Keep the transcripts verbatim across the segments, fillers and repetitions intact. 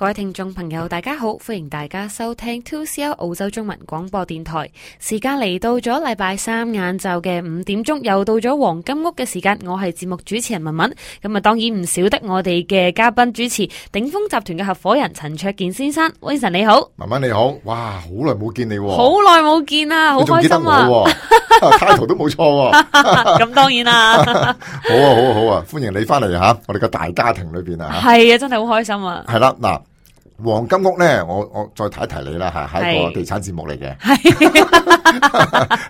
各位聽眾朋友大家好，歡迎大家收聽 two C L 澳洲中文廣播電台。時間嚟到咗禮拜三晏晝嘅五點鐘，又到咗黃金屋嘅時間。我係節目主持人文文，咁啊當然唔少得我哋嘅嘉賓主持鼎豐集團嘅合夥人陳焯楗先生。Vincent 你好。文文你好，哇好耐冇見你，好耐冇見啊，好開心啊，title 都冇錯，咁當然啦，好啊好啊好啊，歡迎你翻嚟吓，我哋嘅大家庭裏邊啊，係啊真係好開心啊，係啦嗱。黃金屋咧，我我再提一提你啦吓，係一個地產節目嚟嘅。係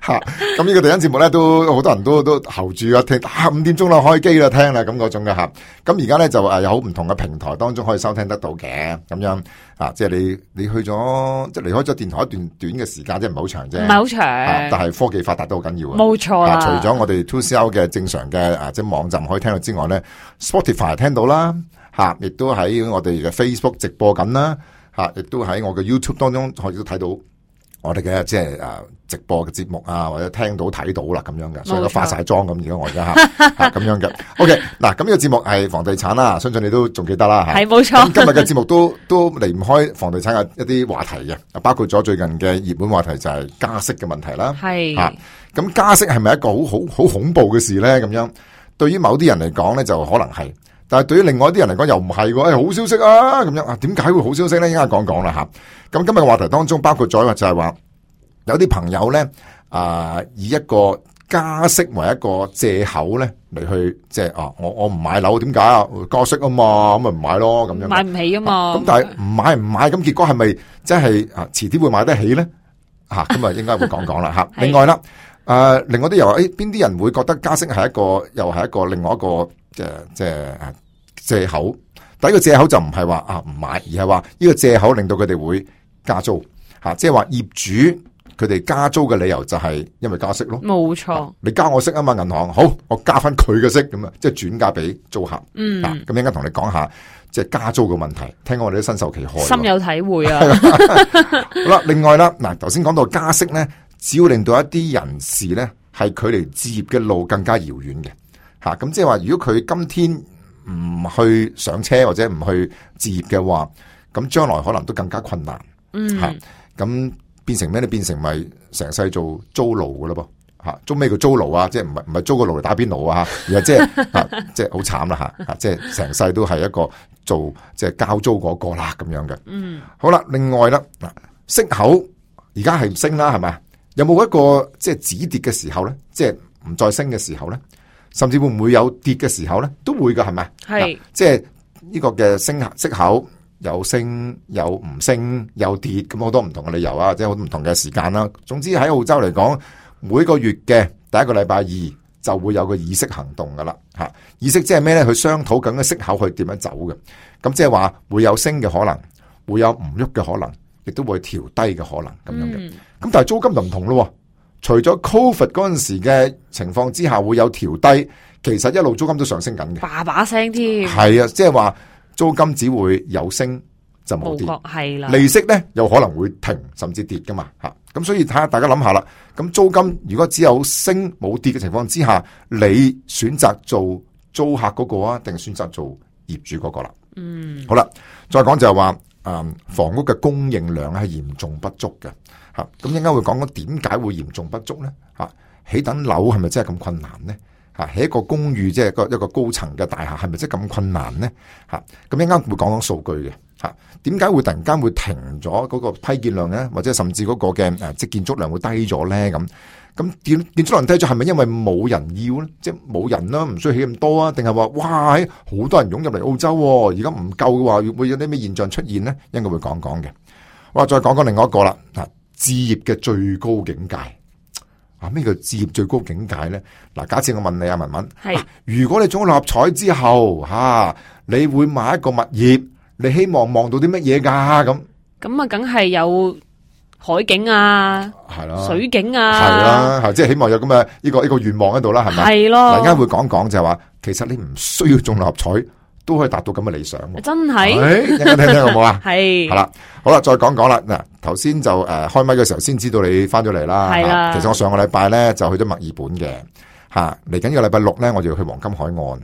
吓，咁呢個地產節目咧，都好多人都都候住啊聽，啊五點鐘啦開機啦聽啦咁嗰種嘅吓。咁而家咧就誒有好唔同嘅平台當中可以收聽得到嘅，咁樣啊，即係你你去咗即係離開咗電台一段短嘅時間，即係唔係好長啫，唔係好長，但係科技發達都好緊要啊。冇錯啦，除咗我哋 two C L 嘅正常嘅啊即係網站可以聽到之外咧 ，Spotify 聽到啦。吓，亦都喺我哋嘅 Facebook 直播緊啦，吓，亦都喺我嘅 YouTube 當中可以都睇到我哋嘅即係誒直播嘅節目啊，或者聽到睇到啦咁樣嘅，所以都化晒妝咁而家我而家吓咁樣嘅。OK，嗱咁呢個節目係房地產啦，相信你都仲記得啦吓。係冇錯。今日嘅節目都都離唔開房地產嘅一啲話題嘅，包括咗最近嘅熱門話題就係加息嘅問題啦。係吓，咁加息係咪一個好好好恐怖嘅事咧？咁樣對於某啲人嚟講咧，就可能係。但係對於另外一啲人嚟講又唔係喎，誒、哎、好消息啊咁樣啊，點解會好消息咧？依家講講啦吓。咁今日嘅話題當中包括咗就係話有啲朋友咧啊、呃，以一個加息為一個借口咧嚟去即係啊，我我唔買樓點解啊？加息啊嘛，咁咪唔買咯咁樣。買唔起啊嘛。咁、啊、但係唔買唔買，咁結果係咪即係啊遲啲會買得起咧？吓咁啊，應該會講講啦吓。另外啦，誒、呃，另外啲又話誒，邊啲人會覺得加息係一個又係一個另外一個？即係即係借口，第一個借口就唔係話啊唔買，而係話呢個借口令到佢哋會加租吓，即係話業主佢哋加租嘅理由就係因為加息咯。冇錯，你加我息啊嘛，銀行好，我加翻佢嘅息咁啊，即係轉嫁俾租客。嗯，咁應該同你講下即係加租嘅問題，聽講我哋都深受其害，深有體會啊。好啦，另外啦，嗱頭先講到加息咧，只要令到一啲人士咧係距離置業嘅路更加遙遠嘅。吓，咁即係話，如果佢今天唔去上車或者唔去置業嘅話，咁將來可能都更加困難。嗯，吓，咁變成咩咧？變成咪成世做租奴噶咯噃？吓，租咩叫租奴啊？即係唔係唔係租個爐嚟打邊爐啊？而係即係即係好慘啦吓，即係成世都係一個做即係交租嗰個啦咁樣嘅。嗯，好啦，另外啦，嗱，息口而家係升啦，係咪？有冇一個即係止跌嘅時候咧？即係唔再升嘅時候咧？甚至會唔會有跌嘅時候咧？都會噶，係咪？係，即係呢個嘅升息口有升有唔升有跌，咁好多唔同嘅理由啊，即係好唔同嘅時間啦。總之喺澳洲嚟講，每個月嘅第一個禮拜二就會有個議息行動噶啦。吓，議息即係咩咧？去商討緊嘅息口去點樣走嘅。咁即係話會有升嘅可能，會有唔喐嘅可能，亦都會調低嘅可能咁樣嘅。咁、嗯、但係租金就唔同咯。除咗 Covid 嗰陣時嘅情況之下會有調低，其實一路租金都上升緊嘅，把把聲添。係啊，即係話租金只會有升就冇跌，係啦。利息咧有可能會停甚至跌噶嘛吓，咁所以睇下大家諗下啦。咁租金如果只有升冇跌嘅情況之下，你選擇做租客嗰個啊，定選擇做業主嗰個啦？嗯，好啦，再講就係話，誒，房屋嘅供應量係嚴重不足嘅。吓，咁應該會講講點解會嚴重不足咧？吓，起等樓係咪真係咁困難咧？吓，起一個公寓即係一個一個高層嘅大廈係咪真係咁困難咧？吓，咁應該會講講數據嘅。吓，點解會突然間會停咗嗰個批建量咧？或者甚至嗰個嘅誒即係建築量會低咗咧？咁咁建建築量低咗係咪因為冇人要咧？即係冇人啦，唔需要起咁多啊？定係話哇，好多人湧入嚟澳洲，而家唔夠嘅話，會有啲咩現象出現咧？應該會講講嘅。哇，再講講另外一個啦。嗱，置業嘅最高境界啊，咩叫置業最高境界咧？嗱，假設我問你啊，文文，係、啊、如果你中六合彩之後吓、啊，你會買一個物業，你希望望到啲乜嘢噶？咁咁啊，梗係有海景啊，係啦，水景啊，係啦，係即係希望有咁嘅呢個呢個願望喺度啦，係咪？係咯。嗱，而家會講講就係話，其實你唔需要中六合彩。都可以達到咁嘅理想，真係，一陣聽聽好唔好啊？係，係啦，好啦，再講講啦。嗱，頭先就誒開麥嘅時候先知道你翻咗嚟啦。係啦，其實我上個禮拜咧就去咗墨爾本嘅，吓嚟緊個禮拜六咧我就要去黃金海岸。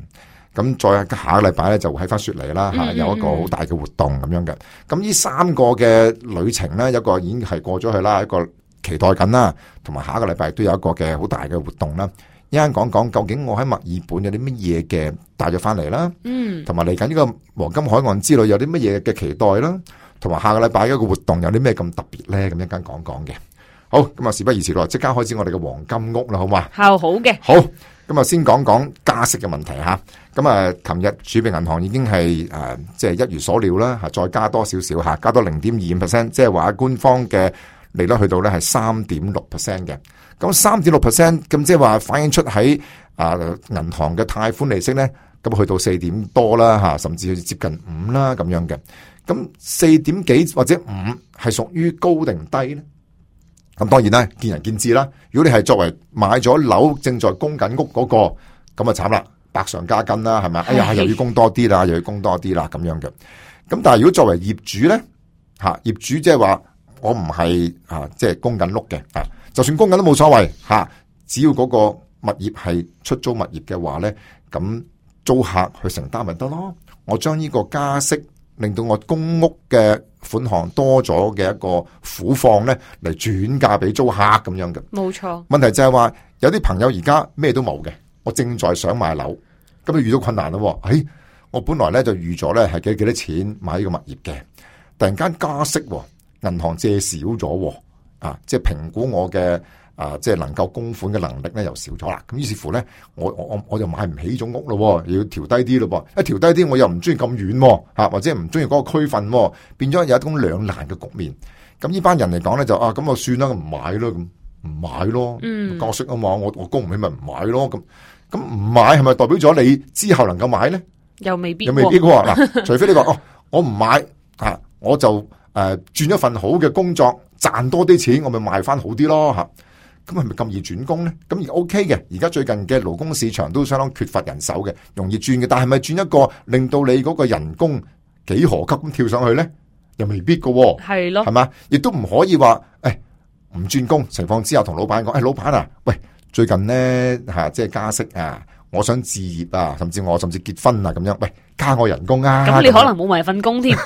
咁再下個禮拜咧就喺翻雪梨啦吓，有一個好大嘅活動咁樣嘅。咁呢三個嘅旅程咧，一個已經係過咗去啦，一個期待緊啦，同埋下一個禮拜都有一個嘅好大嘅活動啦。一陣講講究竟我喺墨爾本有啲乜嘢嘅帶咗翻嚟啦，嗯，同埋嚟緊呢個黃金海岸之旅有啲乜嘢嘅期待啦，同埋下個禮拜一個活動有啲咩咁特別咧，咁一陣講講嘅。好，咁啊事不宜遲咯，即刻開始我哋嘅黃金屋啦，好嘛？好好嘅，好，咁啊先講講加息嘅問題吓。咁啊，琴日儲備銀行已經係誒，即係一如所料啦，吓再加多少少吓，加多零點二五 percent， 即係話官方嘅利率去到咧係三點六 percent 嘅。咁三點六 percent， 咁即係話反映出喺啊銀行嘅貸款利息咧，咁去到四點多啦吓，甚至接近五啦咁樣嘅。咁四點幾或者五係屬於高定低咧？咁當然啦，見仁見智啦。如果你係作為買咗樓正在供緊屋嗰、那個，咁啊慘啦，百上加斤啦，係咪？哎呀，又要供多啲啦，又要供多啲啦，咁樣嘅。咁但係如果作為業主咧，吓業主即係話我唔係啊，即係供緊屋嘅啊，就算供緊都冇所謂吓，只要嗰個物業係出租物業嘅話咧，咁租客去承擔咪得咯。我將呢個加息令到我公屋嘅款項多咗嘅一個苦況咧，嚟轉嫁俾租客咁樣嘅。冇錯。問題就係話有啲朋友而家咩都冇嘅，我正在想買樓，咁就遇到困難咯。誒、哎，我本來咧就預咗咧係幾幾多錢買呢個物業嘅，突然間加息，銀行借少咗，啊，即係評估我嘅啊，即係能夠供款嘅能力咧又少咗啦。咁於是乎咧，我我我我就買唔起呢種屋咯，要調低啲咯噃。一調低啲，我又唔中意咁遠，吓或者唔中意嗰個區份，變咗有一種兩難嘅局面。咁呢班人嚟講咧就啊，咁我算啦，唔買咯，咁唔買咯，嗯，加息啊嘛，我我供唔起咪唔買咯，咁咁唔買係咪代表咗你之後能夠買咧？又未必，又未必喎。嗱，除非你話哦，我唔買啊，我就誒轉一份好嘅工作，賺多啲錢，我咪賣翻好啲咯，吓。咁係咪咁易轉工咧？咁而 OK 嘅，而家最近嘅勞工市場都相當缺乏人手嘅，容易轉嘅。但係咪轉一個令到你嗰個人工幾何級咁跳上去咧？又未必噶，係咯，係嘛？亦都唔可以話誒唔轉工情況之下同老闆講，誒、哎、老闆啊，喂，最近咧吓、啊、即係加息啊，我想置業啊，甚至我甚至結婚啊咁樣，喂，加我人工啊！咁你可能冇埋份工添。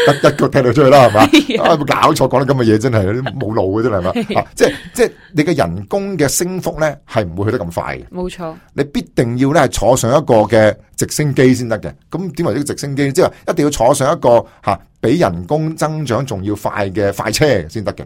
一一腳踢到出去啦，係嘛？啊，冇搞錯，講得咁嘅嘢真係冇路嘅，真係嘛？啊，即係即係你嘅人工嘅升幅咧，係唔會去得咁快嘅。冇錯，你必定要咧係坐上一個嘅直升機先得嘅。咁點為呢個直升機？即係一定要坐上一個吓比人工增長仲要快嘅快車先得嘅。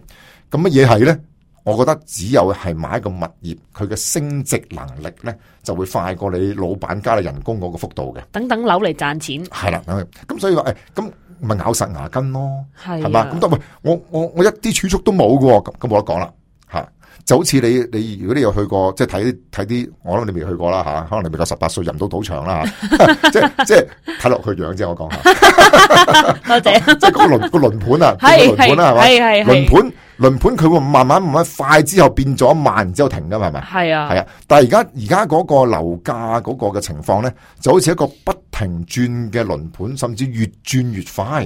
咁乜嘢係咧？我覺得只有係買一個物業，佢嘅升值能力咧就會快過你老闆加你人工嗰個幅度嘅。等等樓嚟賺錢係啦，咁所以話誒咁。咪咬實牙根咯，係嘛？咁得喂，我我我一啲儲蓄都冇嘅，咁咁冇得講啦吓。就好似你你如果你有去過，即係睇睇啲，我諗你未去過啦吓，可能你未夠十八歲入唔到賭場啦吓。即係即係睇落去樣啫，我講下。多謝。即係個輪個輪盤啊，係係係係輪盤輪盤，佢會慢慢慢慢快之後變咗慢，然之後停噶嘛，係咪？係啊係啊。但係而家而家嗰個樓價嗰個嘅情況咧，就好似一個不停轉嘅輪盤，甚至越轉越快，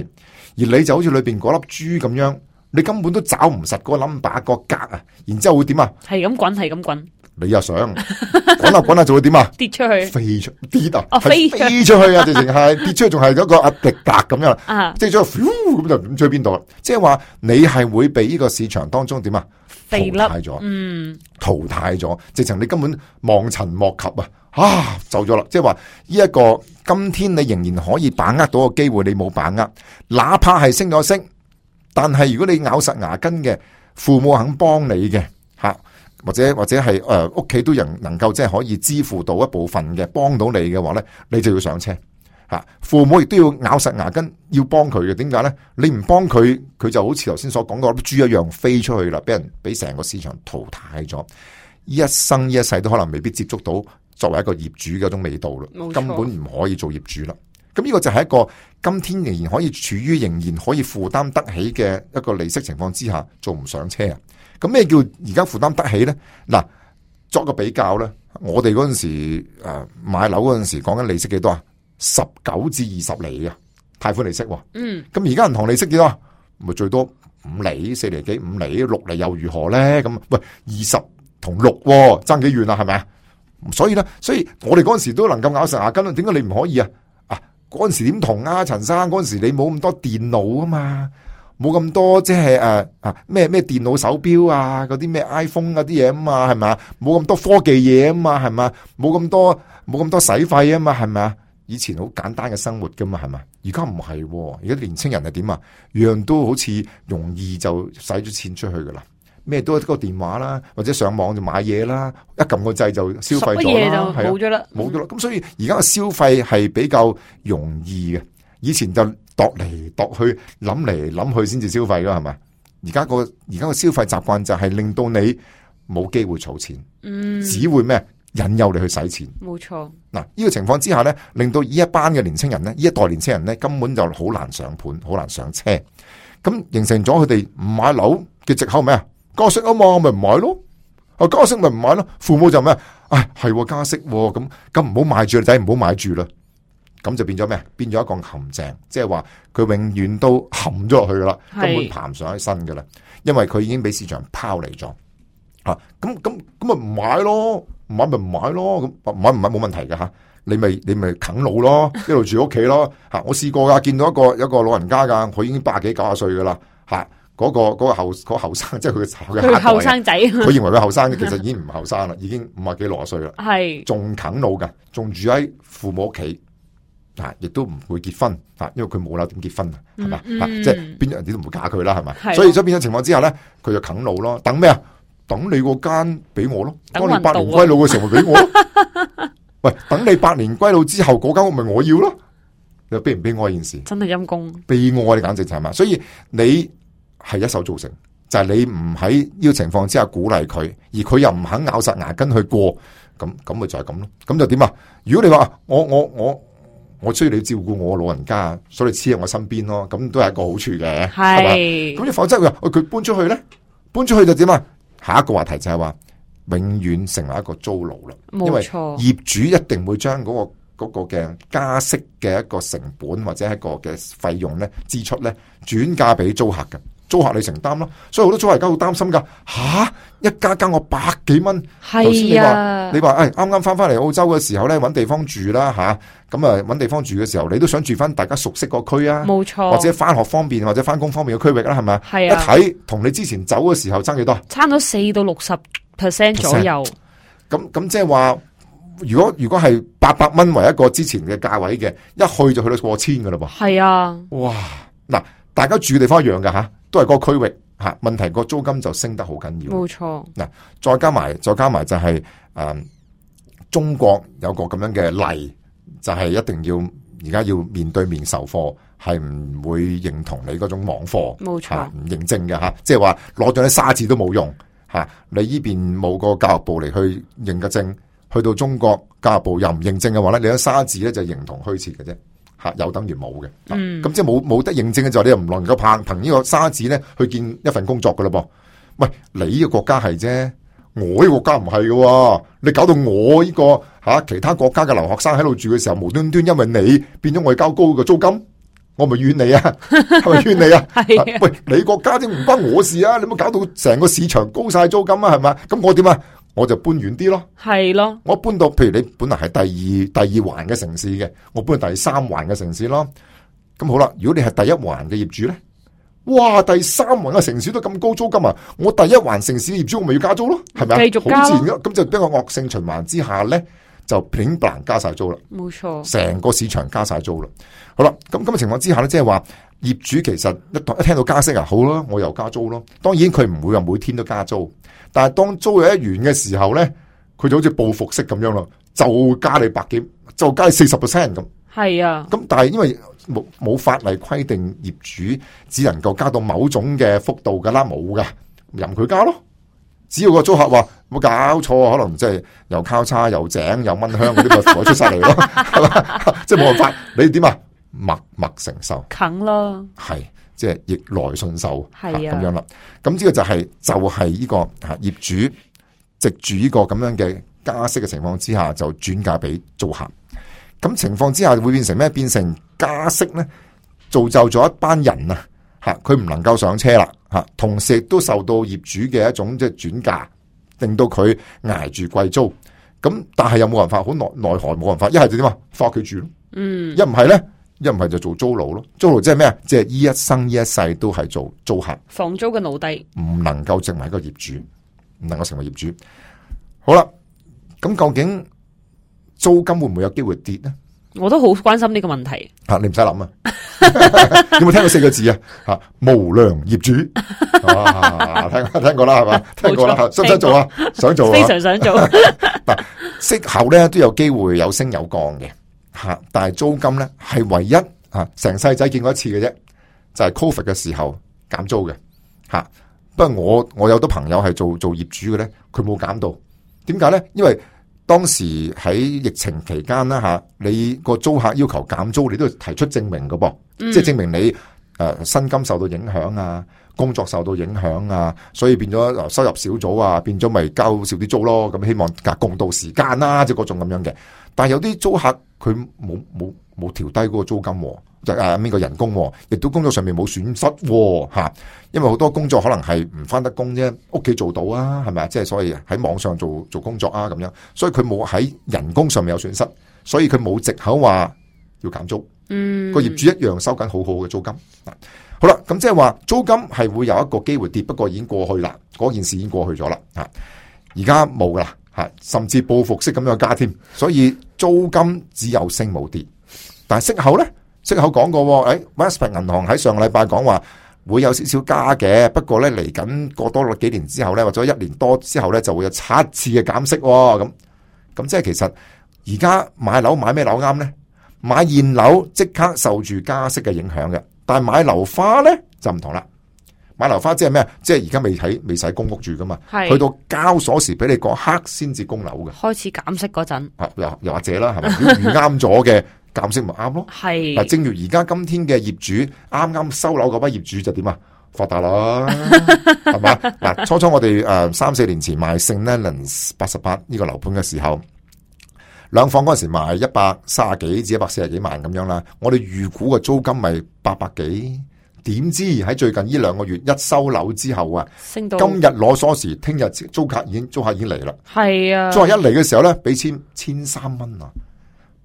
而你就好似裏邊嗰粒珠咁樣，你根本都找唔實嗰個 number 個格啊，然之後會點啊？係咁滾，係咁滾。你又想滾下滾下就會點啊？跌出去，飛出跌啊！哦，飛飛出去啊！直情係跌出去，仲係嗰個壓力格咁樣啊！即係咗咁就唔知去邊度啦。即係話你係會被呢個市場當中點啊？淘汰咗，嗯，淘汰咗，直情你根本望塵莫及啊！啊，走咗啦！即係話呢一個今天你仍然可以把握到個機會，你冇把握，哪怕係升咗升，但係如果你咬實牙根嘅，父母肯幫你嘅吓。或者或者係誒屋企都人能夠即係可以支付到一部分嘅幫到你嘅話咧，你就要上車吓。父母亦都要咬實牙根要幫佢嘅。點解咧？你唔幫佢，佢就好似頭先所講嗰啲豬一樣飛出去啦，俾人俾成個市場淘汰咗。一生一世都可能未必接觸到作為一個業主嘅一種味道啦，根本唔可以做業主啦。咁呢個就係一個今天仍然可以處於仍然可以負擔得起嘅一個利息情況之下，做唔上車啊！咁咩叫而家負擔得起咧？嗱，作個比較咧，我哋嗰陣時誒買樓嗰陣時，講緊利息幾多啊？十九至二十厘嘅貸款利息。嗯。咁而家銀行利息幾多啊？咪最多五厘、四厘幾、五厘、六厘又如何咧？咁喂，二十同六爭幾遠啊？係咪啊？所以咧，所以我哋嗰陣時都能夠咬實牙根，點解你唔可以啊？啊，嗰陣時點同啊，陳生嗰陣時你冇咁多電腦啊嘛。冇咁多即係誒啊咩咩電腦手錶啊，嗰啲咩 iPhone 嗰啲嘢啊嘛，係咪啊？冇咁多科技嘢啊嘛，係咪啊？冇咁多冇咁多使費啊嘛，係咪啊？以前好簡單嘅生活噶嘛，係咪？而家唔係，而家年青人係點啊？樣樣都好似容易就使咗錢出去噶啦，咩都一個電話啦，或者上網就買嘢啦，一撳個掣就消費咗啦，冇咗啦，冇咗啦。咁所以而家嘅消費係比較容易嘅，以前就度嚟度去諗嚟諗去先至消費噶，係咪？而家個而家個消費習慣就係令到你冇機會儲錢，嗯，只會咩引誘你去使錢。冇錯。嗱，呢個情況之下咧，令到呢一班嘅年青人咧，呢一代年青人咧，根本就好難上盤，好難上車。咁形成咗佢哋唔買樓嘅藉口咩啊？加息啊嘛，咪唔買咯。啊，加息咪唔買咯。父母就咩？唉，係加息，咁咁唔好買住，仔唔好買住啦。咁就變咗咩？變咗一個陷阱，即係話佢永遠都陷咗落去噶啦，根本爬唔上起身噶啦，因為佢已經俾市場拋離咗。啊，咁咁咁咪唔買咯，唔買咪唔買咯，咁唔買唔買冇問題嘅吓，你咪你咪啃老咯，一路住屋企咯。吓，我試過噶，見到一個一個老人家噶，佢已經八幾九十歲噶啦，吓，嗰個嗰個後嗰後生，即係佢嘅佢後生仔，佢認為佢後生，其實已經唔後生啦，已經五啊幾六十歲啦，係仲啃老噶，仲住喺父母屋企。啊！亦都唔會結婚，啊，因為佢冇樓點結婚啊，係咪、嗯嗯？即係邊人哋都唔會嫁佢啦，係咪？所以所以變咗情況之下咧，佢就啃老咯。等咩啊？等你個間俾我咯，當你百年歸老嘅時候咪俾我咯。喂，等你百年歸老之後，嗰間屋咪我要咯。你悲唔悲哀件事？真係陰公，悲哀你簡直就係嘛。所以你係一手造成，就係、是、你唔喺呢個情況之下鼓勵佢，而佢又唔肯咬實牙根去過，咁咁咪就係咁咯。咁就點啊？如果你話我我我。我我需要你照顧我老人家，所以你黐喺我身邊咯，咁都係一個好處嘅，係嘛？咁你否則佢話，佢搬出去咧，搬出去就點啊？下一個話題就係話，永遠成為一個租奴啦。因為業主一定會將嗰個嗰個嘅加息嘅一個成本或者一個嘅費用咧支出咧轉嫁俾租客嘅。租客你承擔咯，所以好多租客而家好擔心噶。吓、啊，一家加我百幾蚊，頭先你話你話，誒，啱啱翻翻嚟澳洲嘅時候咧，搵地方住啦吓，咁啊搵地方住嘅時候，你都想住翻大家熟悉個區啊，冇錯，或者翻學方便或者翻工方便嘅區域啦，係咪？係啊，一睇同你之前走嘅時候爭幾多？差咗四到六十 percent 左右。咁咁即係話，如果如果係八百蚊為一個之前嘅價位嘅，一去就去到過千噶啦噃。係啊，哇！嗱，大家住嘅地方一樣噶吓。都係嗰個區域吓，問題個租金就升得好緊要。冇錯，嗱，再加埋，再加埋就係、是、誒、嗯，中國有個咁樣嘅例，就係、是、一定要而家要面對面授課，係唔會認同你嗰種網課。冇錯，唔認證嘅吓，即係話攞咗啲沙紙都冇用吓，你呢邊冇個教育部嚟去認個證，去到中國教育部又唔認證嘅話咧，你啲沙紙咧就形同虛設嘅啫。吓，又等於冇嘅，咁、嗯、即係冇冇得認證嘅就，你又唔能夠憑憑呢個沙紙咧去見一份工作噶啦噃。喂，你呢個國家係啫，我呢個國家唔係嘅，你搞到我呢、這個吓、啊、其他國家嘅留學生喺度住嘅時候，無端端因為你變咗我交高嘅租金，我咪怨你啊，係咪怨你啊？係、啊，喂，你國家啫，唔關我事啊，你冇搞到成個市場高晒租金啊，係咪？咁我點啊？我就搬遠啲咯，係咯，我搬到譬如你本來係第二第二環嘅城市嘅，我搬到第三環嘅城市咯。咁好啦，如果你係第一環嘅業主咧，哇，第三環嘅城市都咁高租金啊，我第一環城市嘅業主我咪要加租咯，係咪啊？繼續加，好自然咯。咁就俾個惡性循環之下咧，就平白加晒租啦。冇錯，成個市場加晒租啦。好啦，咁咁嘅情況之下咧，即係話業主其實一一聽到加息啊，好啦，我又加租咯。當然佢唔會話每天都加租。但係當租有一完嘅時候咧，佢就好似報復式咁樣咯，就加你百幾，就加你四十 percent 咁。係啊，咁但係因為冇冇法例規定業主只能夠加到某種嘅幅度噶啦，冇噶，任佢加咯。只要個租客話冇搞錯，可能即係又交叉又井又蚊香嗰啲咪火出晒嚟咯，係嘛？即係冇辦法，你點啊？默默承受，啃咯，係。即係逆來順受，係啊，咁樣啦。咁呢個就係、是、就係、是、呢個吓業主藉住呢個咁樣嘅加息嘅情況之下，就轉嫁俾租客。咁情況之下會變成咩？變成加息咧，造就咗一班人啊，吓佢唔能夠上車啦，吓同時亦都受到業主嘅一種即係轉嫁，令到佢挨住貴租。咁但係又冇辦法，好奈奈何冇辦法，一係就點啊？翻屋企住咯，嗯，一唔係咧，一唔係就做租奴咯。租奴即係咩啊？即係呢一生呢一世都係做租客，房租嘅奴隸，唔能夠成為一個業主，唔能夠成為業主。好啦，咁究竟租金會唔會有機會跌呢？我都好關心呢個問題。吓、啊，你唔使諗啊！有冇聽過四個字啊？吓、啊，無良業主，啊、聽聽過啦係嘛？聽過啦，想唔想做啊？想做啊？非常想做。嗱，息口咧都有機會有升有降嘅吓，但係租金咧係唯一吓成世仔見過一次嘅啫，就係、是、Covid 嘅時候減租嘅吓。不過我我有好多朋友係做做業主嘅咧，佢冇減到，點解咧？因為當時喺疫情期間啦吓，你個租客要求減租，你都要提出證明㗎噃，嗯、即係證明你誒薪金受到影響啊，工作受到影響啊，所以變咗收入少咗啊，變咗咪交少啲租咯。咁希望夾共度時間啦，即係嗰種咁樣嘅。但係有啲租客佢冇冇冇調低嗰個租金，就誒呢個人工，亦都工作上面冇損失吓。因為好多工作可能係唔翻得工啫，屋企做到啊，係咪啊？即係所以喺網上做做工作啊咁樣，所以佢冇喺人工上面有損失，所以佢冇藉口話要減租。嗯，個業主一樣收緊好好嘅租金。好啦，咁即係話租金係會有一個機會跌，不過已經過去啦，嗰件事已經過去咗啦。吓，而家冇噶啦，吓，甚至報復式咁樣加添，所以租金只有升冇跌。但係息口咧，息口講過，誒 Westpac 銀行喺上個禮拜講話會有少少加嘅，不過咧嚟緊過多幾年之後咧，或者一年多之後咧，就會有七次嘅減息。咁咁即係其實而家買樓買咩樓啱咧？買現樓即刻受住加息嘅影響嘅。但係買樓花咧就唔同啦，買樓花即係咩？即係而家未喺未使公屋住噶嘛，去到交鎖匙俾你嗰刻先至供樓嘅。開始減息嗰陣，啊又又或者啦，係咪？如果遇啱咗嘅減息咪啱咯。係嗱，正如而家今天嘅業主啱啱收樓嗰班業主就點啊？發達啦，係嘛？嗱，初初我哋誒三四年前賣聖 Leonards 八十八呢個樓盤嘅時候。兩房嗰陣時賣一百三十幾至一百四十幾萬咁樣啦，我哋預估嘅租金咪八百幾，點知喺最近呢兩個月一收樓之後啊，升到今日攞鎖匙，聽日租客已經租客已經嚟啦。係啊，租客一嚟嘅時候咧，俾千千三蚊啊，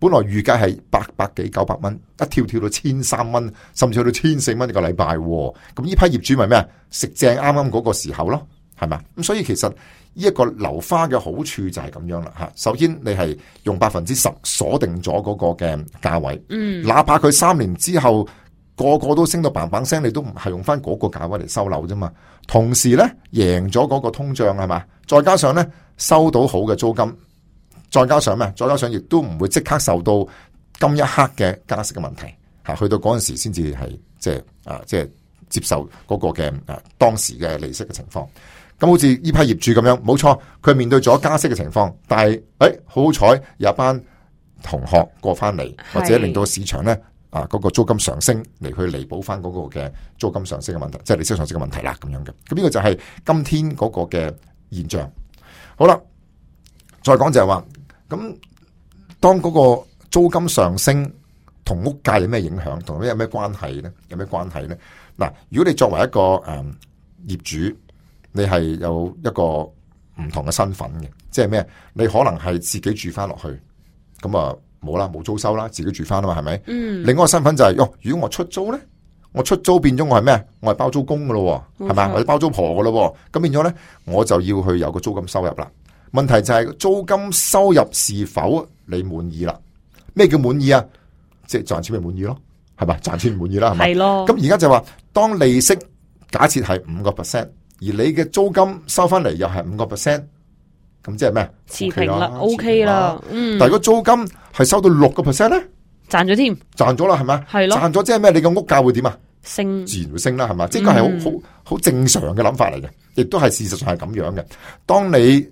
本來預計係八百幾九百蚊，一跳跳到千三蚊，甚至去到千四蚊一個禮拜。咁呢批業主咪咩啊？食正啱啱嗰個時候咯，係咪？咁所以其實。呢一個樓花嘅好處就係咁樣啦吓，首先你係用百分之十鎖定咗嗰個嘅價位，嗯，哪怕佢三年之後個個都升到嘭嘭聲，你都唔係用翻嗰個價位嚟收樓啫嘛。同時咧贏咗嗰個通脹係嘛，再加上咧收到好嘅租金，再加上咩？再加上亦都唔會即刻受到今一刻嘅加息嘅問題吓，去到嗰陣時先至係即係啊即係接受嗰個嘅啊當時嘅利息嘅情況。咁好似呢批業主咁樣，冇錯，佢面對咗加息嘅情況，但係誒，好好彩有一班同學過翻嚟，或者令到市場咧啊嗰個租金上升嚟去彌補翻嗰個嘅租金上升嘅問題，即係利息上升嘅問題啦，咁樣嘅。咁呢個就係今天嗰個嘅現象。好啦，再講就係話，咁當嗰個租金上升同屋價有咩影響，同咩有咩關係咧？有咩關係咧？嗱，如果你作為一個誒、嗯、業主。你係有一個唔同嘅身份嘅，即係咩？你可能係自己住翻落去，咁啊冇啦，冇租收啦，自己住翻啊嘛，係咪？嗯。另外一個身份就係、是，喲，如果我出租咧，我出租變咗我係咩？我係包租公噶咯，係咪？或者包租婆噶咯，咁變咗咧，我就要去有個租金收入啦。問題就係租金收入是否你滿意啦？咩叫滿意啊？即係賺錢咪滿意咯，係咪？賺錢唔滿意啦，係咪？係咯。咁而家就話，當利息假設係五個 percent。而你嘅租金收翻嚟又係五個 percent，咁即係咩？持平啦 ，OK 啦，嗯。但係如果租金係收到六個 percent 咧，賺咗添，賺咗啦，係咪？係咯，賺咗即係咩？你嘅屋價會點啊？升，自然會升啦，係嘛？即係個係好好好正常嘅諗法嚟嘅，亦都係事實上係咁樣嘅。當你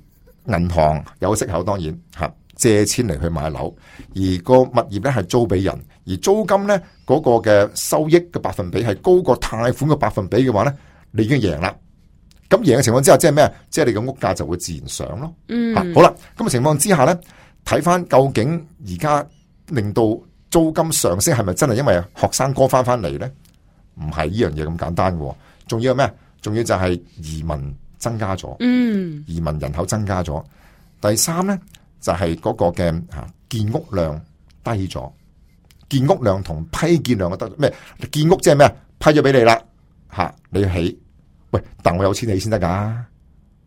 銀行有息口，當然吓借錢嚟去買樓，而個物業咧係租俾人，而租金咧嗰個嘅收益嘅百分比係高過貸款嘅百分比嘅話咧，你已經贏啦。咁贏嘅情況之下，即係咩？即係你嘅屋價就會自然上咯。嗯，啊、好啦，咁嘅情況之下咧，睇翻究竟而家令到租金上升係咪真係因為學生哥翻翻嚟咧？唔係呢樣嘢咁簡單嘅，仲要係咩？仲要就係移民增加咗。嗯，移民人口增加咗。第三咧就係嗰個嘅啊建屋量低咗，建屋量同批建量嘅得咩？建屋即係咩？批咗俾你啦，吓你要起，喂，但我有錢起先得噶，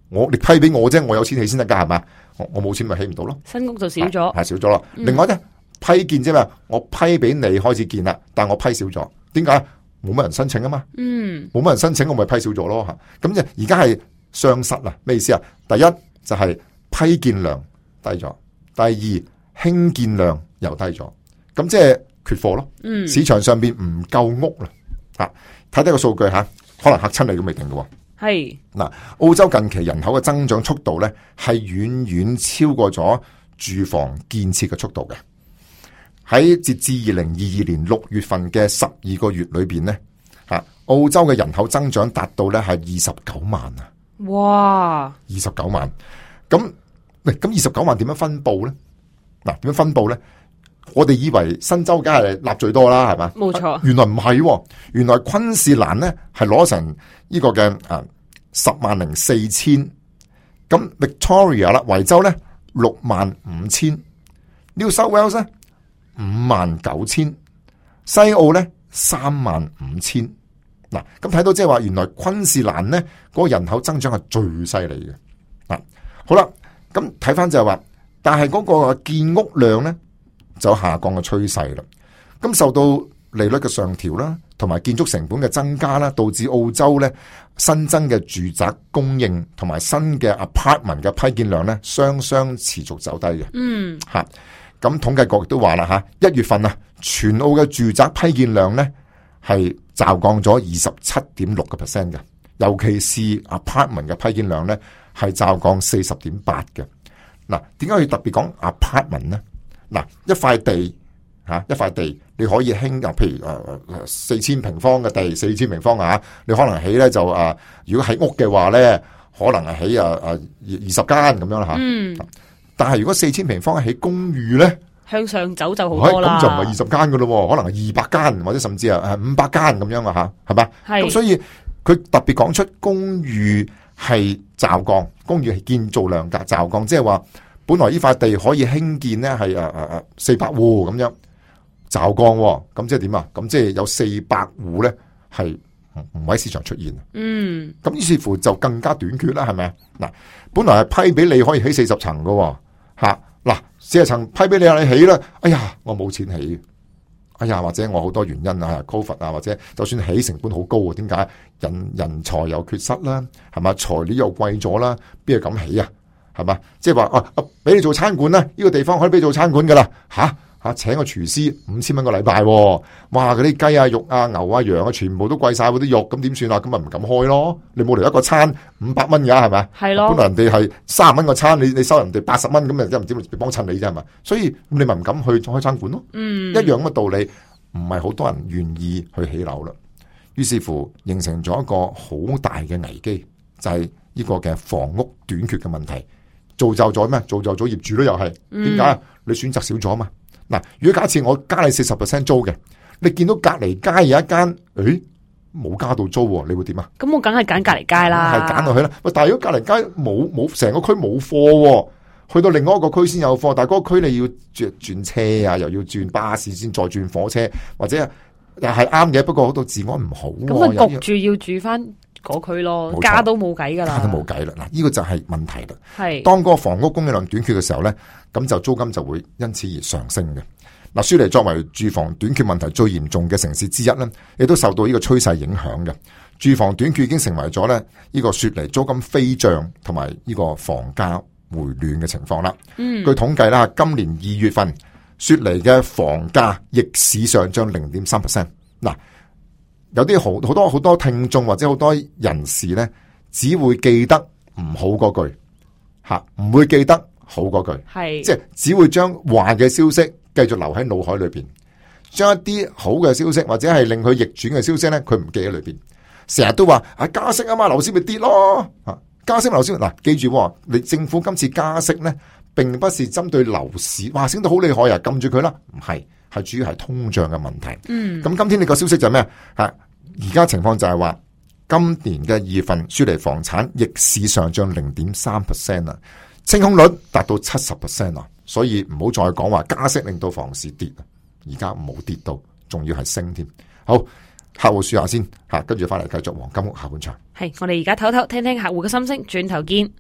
我你批俾我啫，我有錢起先得噶，係嘛？我我冇錢咪起唔到咯，新屋就少咗，係少咗咯。另外咧，批建啫嘛，我批俾你開始建啦，但我批少咗，點解？冇乜人申請啊嘛，嗯，冇乜人申請，我咪批少咗咯吓。咁即係而家係雙失啦，咩意思啊？第一就係、是、批建量低咗，第二興建量又低咗，咁即係缺貨咯。嗯，市場上邊唔夠屋啦，吓睇睇個數據吓，可能嚇親你都未定嘅。係嗱，澳洲近期人口嘅增長速度咧，係遠遠超過咗住房建設嘅速度嘅。喺截至二零二二年六月份嘅十二個月裏邊咧，啊，澳洲嘅人口增長達到咧係二十九萬啊！哇，二十九萬，咁，喂，咁二十九萬點樣分布咧？嗱，點樣分布咧？我哋以為新州梗係納最多啦，係嘛？冇錯，原來唔係，原來昆士蘭咧係攞成呢個嘅啊十萬零四千，咁 Victoria 啦，維州咧六萬五千 ，New South Wales 咧五萬九千，西澳咧三萬五千。嗱，咁睇到即係話，原來昆士蘭咧嗰個人口增長係最犀利嘅。嗱，好啦，咁睇翻就係話，但係嗰個建屋量咧就下降嘅趨勢啦。咁受到利率嘅上調啦，同埋建築成本嘅增加啦，導致澳洲咧新增嘅住宅供應同埋新嘅 apartment 嘅批建量咧雙雙持續走低嘅。嗯，吓。咁統計局亦都話啦吓，一月份啊，全澳嘅住宅批建量咧係驟降咗二十七點六個 percent 嘅，尤其是 apartment 嘅批建量咧係驟降四十點八嘅。嗱，點解要特別講 apartment 咧？嗱，一塊地吓，一塊地你可以興啊，譬如誒四千平方嘅地，四千平方啊，你可能起咧就啊，如果喺屋嘅話咧，可能係起啊啊二十間咁樣啦吓。嗯。但係如果四千平方起公寓咧，向上走就好多啦。咁就唔係二十間噶咯，可能係二百間或者甚至係誒五百間咁樣啊吓，係嘛？係。咁所以佢特別講出公寓係驟降，公寓係建造量格驟降，即係話本來呢塊地可以興建咧係誒誒誒四百戶咁樣驟降，咁即係點啊？咁即係有四百戶咧係唔喺市場出現。嗯。咁於是乎就更加短缺啦，係咪啊？嗱，本來係批俾你可以起四十層噶。吓嗱，四十層批俾你啊，你起啦。哎呀，我冇錢起。哎呀，或者我好多原因啊 ，Covid 啊，或者就算起成本好高啊，點解人人才又缺失啦？係嘛，材料又貴咗啦，邊度敢起啊？係嘛，即係話啊啊，俾你做餐館啦，呢、這個地方可以俾你做餐館噶啦。吓吓，請個廚師五千蚊個禮拜，哇！嗰啲雞啊、肉啊、牛啊、羊啊，全部都貴晒嗰啲肉，咁點算啊？咁咪唔敢開咯。你冇嚟一個餐五百蚊噶，係咪？係咯。本來人哋係三十蚊個餐，你你收人哋八十蚊，咁咪真唔知幫襯你啫，係嘛？所以你咪唔敢去開餐館咯。嗯，一樣嘅道理，唔係好多人願意去起樓啦。於是乎，形成咗一個好大嘅危機，就係、是、呢個嘅房屋短缺嘅問題，造就咗咩？造就咗業主都又係點解？你選擇少咗嘛？嗱，如果假設我加你四十 percent 租嘅，你見到隔籬街有一間，誒冇加到租，你會點啊？咁我梗係揀隔籬街啦，係揀落去啦。喂，但係如果隔籬街冇冇成個區冇貨，去到另外一個區先有貨，但係嗰個區你要轉轉車啊，又要轉巴士先再轉火車，或者又係啱嘅，不過好多治安唔好，咁啊焗住要住翻嗰區咯，加都冇計噶啦，加都冇計啦。嗱，呢個就係問題啦。係當嗰個房屋供應量短缺嘅時候咧，咁就租金就會因此而上升嘅。嗱，雪梨作為住房短缺問題最嚴重嘅城市之一咧，亦都受到呢個趨勢影響嘅。住房短缺已經成為咗咧呢個雪梨租金飛漲同埋呢個房價回暖嘅情況啦。嗯，據統計啦，今年二月份雪梨嘅房價逆市上漲零點三 percent。嗱，有啲好好多好多聽眾或者好多人士咧，只會記得唔好嗰句吓，唔會記得好嗰句，係即係只會將壞嘅消息繼續留喺腦海裏邊，將一啲好嘅消息或者係令佢逆轉嘅消息咧，佢唔記喺裏邊，成日都話啊加息啊嘛，樓市咪跌咯，啊加息樓市嗱，記住你政府今次加息咧，並不是針對樓市，哇升到好厲害啊，撳住佢啦，唔係。係主要係通脹嘅問題。嗯，咁今天呢個消息就係咩啊？而家情況就係話，今年嘅二月份雪梨房產逆市上漲零點三 percent 啊，清空率達到七十 percent 啊，所以唔好再講話加息令到房市跌啊，而家冇跌到，仲要係升添。好，客戶說下先吓，跟住翻嚟繼續黃金屋下半場。係，我哋而家唞唞，聽聽客戶嘅心聲，轉頭見。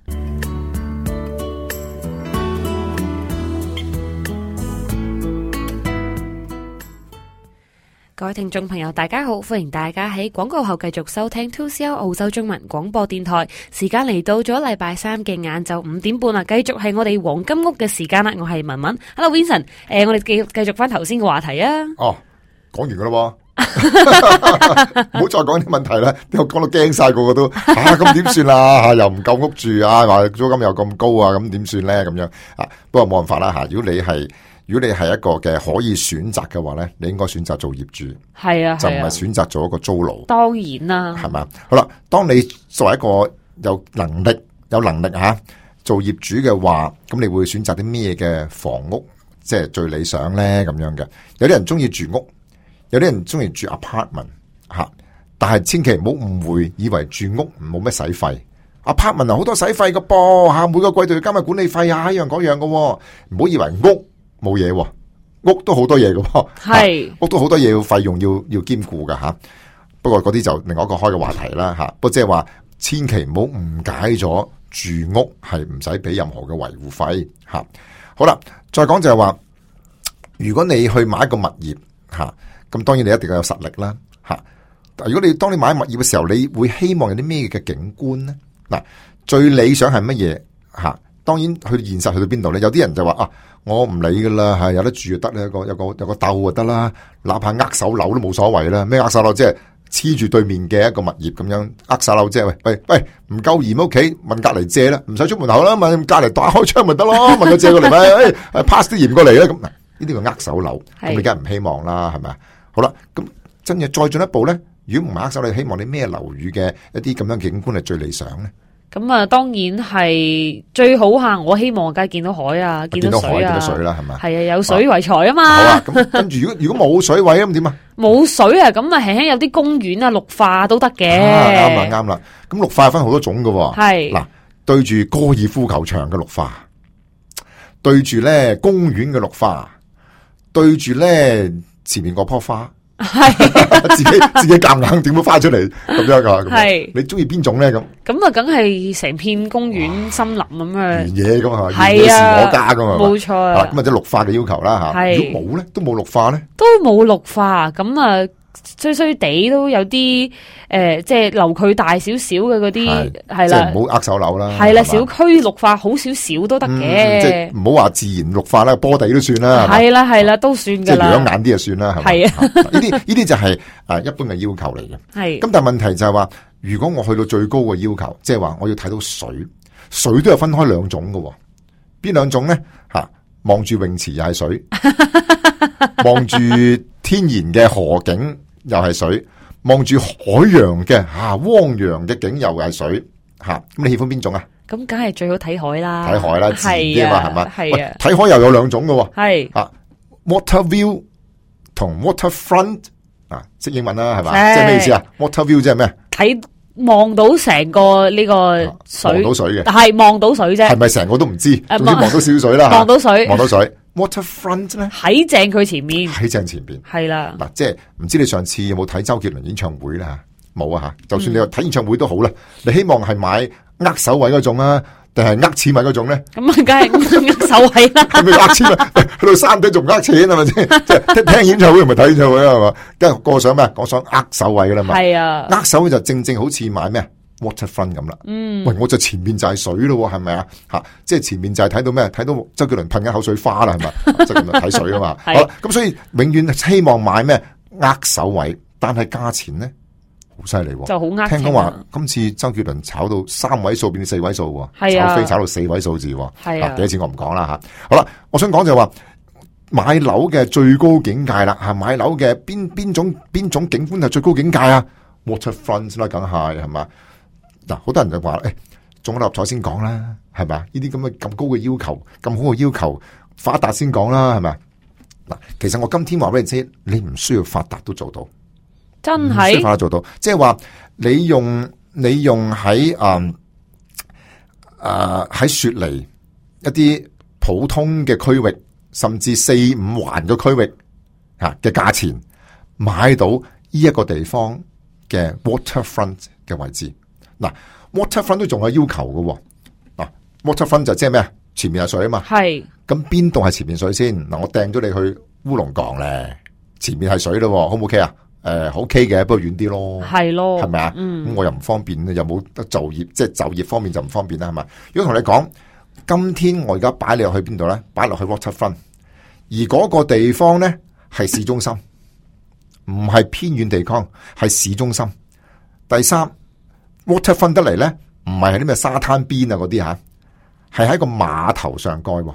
各位聽眾朋友，大家好，歡迎大家喺廣告後繼續收聽 two C L 澳洲中文廣播電台。時間嚟到咗禮拜三嘅晏晝五點半啦，繼續係我哋黃金屋嘅時間啦。我係文文 ，Hello Vincent，誒、呃，我哋繼繼續翻頭先嘅話題啊。哦，講完噶啦，唔好再講啲問題啦，我講到驚晒，個個都啊，咁點算啊？吓，又唔夠屋住啊，話租金又咁高啊，咁點算咧？咁樣啊，不過冇辦法啦吓。如果你係如果你係一個嘅可以選擇嘅話咧，你應該選擇做業主，係啊，就唔係選擇做一個租奴。當然啦，係咪？好啦，當你作為一個有能力、有能力吓做業主嘅話，咁你會選擇啲咩嘅房屋，即係最理想咧？咁樣嘅，有啲人中意住屋，有啲人中意住 apartment 吓，但係千祈唔好誤會，以為住屋冇咩使費。apartment 好多使費噶噃吓，每個季度要加埋管理費啊，一樣嗰樣噶，唔好以為屋冇嘢，屋都好多嘢噶，係屋都好多嘢要費用要要兼顧噶吓。不過嗰啲就另外一個開嘅話題啦吓。不過即係話，千祈唔好誤解咗住屋係唔使俾任何嘅維護費吓。好啦，再講就係話，如果你去買一個物業吓，咁當然你一定要有實力啦吓。如果你當你買物業嘅時候，你會希望有啲咩嘅景觀咧？嗱，最理想係乜嘢吓？當然去現實去到邊度咧？有啲人就話啊，我唔理噶啦，係有得住就得咧，有個有個有個竇就得啦，哪怕握手樓都冇所謂啦。咩握手樓即係黐住對面嘅一個物業咁樣，握手樓即係喂喂喂，唔夠鹽屋企問隔籬借啦，唔使出門口啦，問隔籬打開窗咪得咯，問佢借過嚟咪，誒、哎、pass 啲鹽過嚟啦。咁嗱，呢啲叫握手樓，咁你梗係唔希望啦，係咪？好啦，咁真係再進一步咧，如果唔係握手，你希望你咩樓宇嘅一啲咁樣景觀係最理想咧？咁啊，當然係最好吓！我希望梗係見到海啊，見到水啊，見到海，見到水啦，係咪？係啊，有水為財啊嘛。好啊，咁跟住如果如果冇水位咁點啊？冇水啊，咁啊輕輕有啲公園啊，綠化都得嘅。啱啦，啱啦。咁綠化分好多種噶，係嗱，對住高爾夫球場嘅綠化，對住咧公園嘅綠化，對住咧前面嗰棵花。係自己自己夾硬點樣花出嚟咁樣噶，係你中意邊種咧？咁咁啊，梗係成片公園森林咁樣原野咁啊，原野是我家噶嘛，冇錯啊。咁或者綠化嘅要求啦吓，如果冇咧，都冇綠化咧，都冇綠化咁啊。衰衰地都有啲誒、呃，即係樓距大少少嘅嗰啲係啦，即係唔好握手樓啦。係啦，小區綠化好少少都得嘅、嗯，即係唔好話自然綠化啦，波地都算啦。係啦係啦，都算噶啦。即係養眼啲就算啦，係咪？係啊，呢啲呢啲就係誒一般嘅要求嚟嘅。係咁，但係問題就係話，如果我去到最高嘅要求，即係話我要睇到水，水都有分開兩種嘅。邊兩種咧？吓，望住泳池又係水，望住天然嘅河景。又係水，望住海洋嘅吓，汪洋嘅景又係水吓，咁你喜歡邊種啊？咁梗係最好睇海啦，睇海啦，自然啲嘛係嘛？係啊，睇海又有兩種嘅，係啊 ，water view 同 waterfront 啊，識英文啦係嘛？即係咩意思啊 ？water view 即係咩？睇望到成個呢個水，望到水嘅，係望到水啫，係咪成個都唔知？總之望到少少水啦，望到水，望到水。Waterfront 咧喺正佢前面，喺正前邊係啦。嗱，即係唔知你上次有冇睇周杰倫演唱會啦？冇啊吓！就算你話睇演唱會都好啦，你希望係買握手位嗰種啊，定係握錢位嗰種咧？咁啊，梗係握手位啦。係咪握錢啊？去到山頂仲握錢係咪先？即係聽演唱會唔係睇演唱會啊？係嘛？跟住個想咩？我想握手位噶啦嘛。係啊，握手位就正正好似買咩？Waterfront 咁啦，嗯，喂，我就前面就係水咯，係咪啊？吓，即係前面就係睇到咩？睇到周杰倫噴緊口水花啦，係咪？即係咁樣睇水啊嘛。好啦，咁所以永遠希望買咩握手位，但係價錢咧好犀利，就好呃。聽講話今次周杰倫炒到三位數變四位數，係啊，炒飛炒到四位數字，係啊，幾多錢我唔講啦吓。好啦，我想講就係話買樓嘅最高境界啦，吓，買樓嘅邊邊種邊種景觀係最高境界啊 ？Waterfront 啦，梗係係嘛。嗱，好多人就話誒，中咗六合彩先講啦，係咪？呢啲咁嘅咁高嘅要求，咁好嘅要求，發達先講啦，係咪？嗱，其實我今天話俾你知，你唔需要發達都做到，真係唔需要發達做到，即係話你用你用喺誒誒喺雪梨一啲普通嘅區域，甚至四五環嘅區域吓嘅價錢，買到呢一個地方嘅 waterfront 嘅位置。嗱 ，waterfront 都仲有要求嘅。嗱 ，waterfront 就即係咩啊？前面係水啊嘛。係。咁邊度係前面水先？嗱，我掟咗你去烏龍港咧，前面係水咯，好唔 OK 啊？誒、呃，好 OK 嘅，不過遠啲咯。係咯。係咪啊？咁、嗯、我又唔方便，又冇得就業，即係就業方面就唔方便啦，係咪？如果同你講，今天我而家擺你落去邊度咧？擺落去 waterfront， 而嗰個地方咧係市中心，唔係偏遠地方，係市中心。第三。waterfront 得嚟咧，唔係喺啲咩沙灘邊啊嗰啲吓，係喺個碼頭上蓋。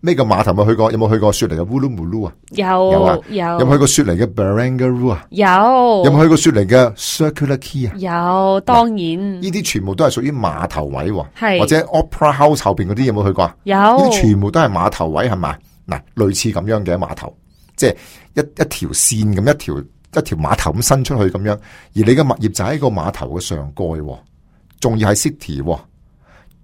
咩叫碼頭？有冇去過？有冇去過雪梨嘅 Woolloomooloo 啊？有有啊，有。有冇去過雪梨嘅 Barangaroo 啊？有。有冇去過雪梨嘅 Circular Quay 啊？有，當然。呢啲全部都係屬於碼頭位，係或者 Opera House 後邊嗰啲有冇去過啊？有。呢啲全部都係碼頭位，係咪？嗱，類似咁樣嘅碼頭，即係一一條線咁一條。一條碼頭咁伸出去咁樣，而你嘅物業就喺個碼頭嘅上蓋，仲要係 city，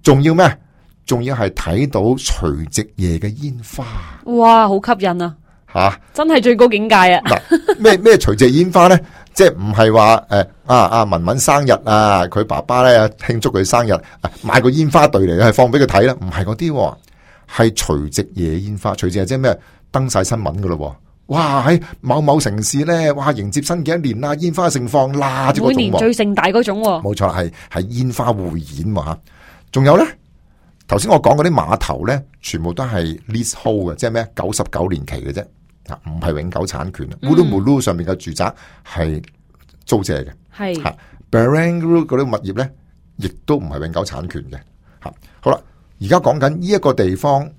仲要咩？仲要係睇到除夕夜嘅煙花。哇，好吸引啊！吓、啊，真係最高境界啊！嗱，咩咩除夕煙花咧？即係唔係話誒啊啊文文生日啊，佢爸爸咧慶祝佢生日，啊、買個煙花隊嚟係放俾佢睇啦，唔係嗰啲，係除夕夜煙花。除夕係即係咩？登晒新聞噶咯。哇！喺某某城市咧，哇迎接新嘅一年啦，煙花盛放啦，每年最盛大嗰種。冇錯，係係煙花匯演吓。仲有咧，頭先我講嗰啲碼頭咧，全部都係 leasehold 嘅，即係咩？九十九年期嘅啫，啊，唔係永久產權。Woolloomooloo 上面嘅住宅係租借嘅，係吓。Barangaroo 嗰啲物業咧，亦都唔係永久產權嘅。吓，好啦，而家講緊呢一個地方。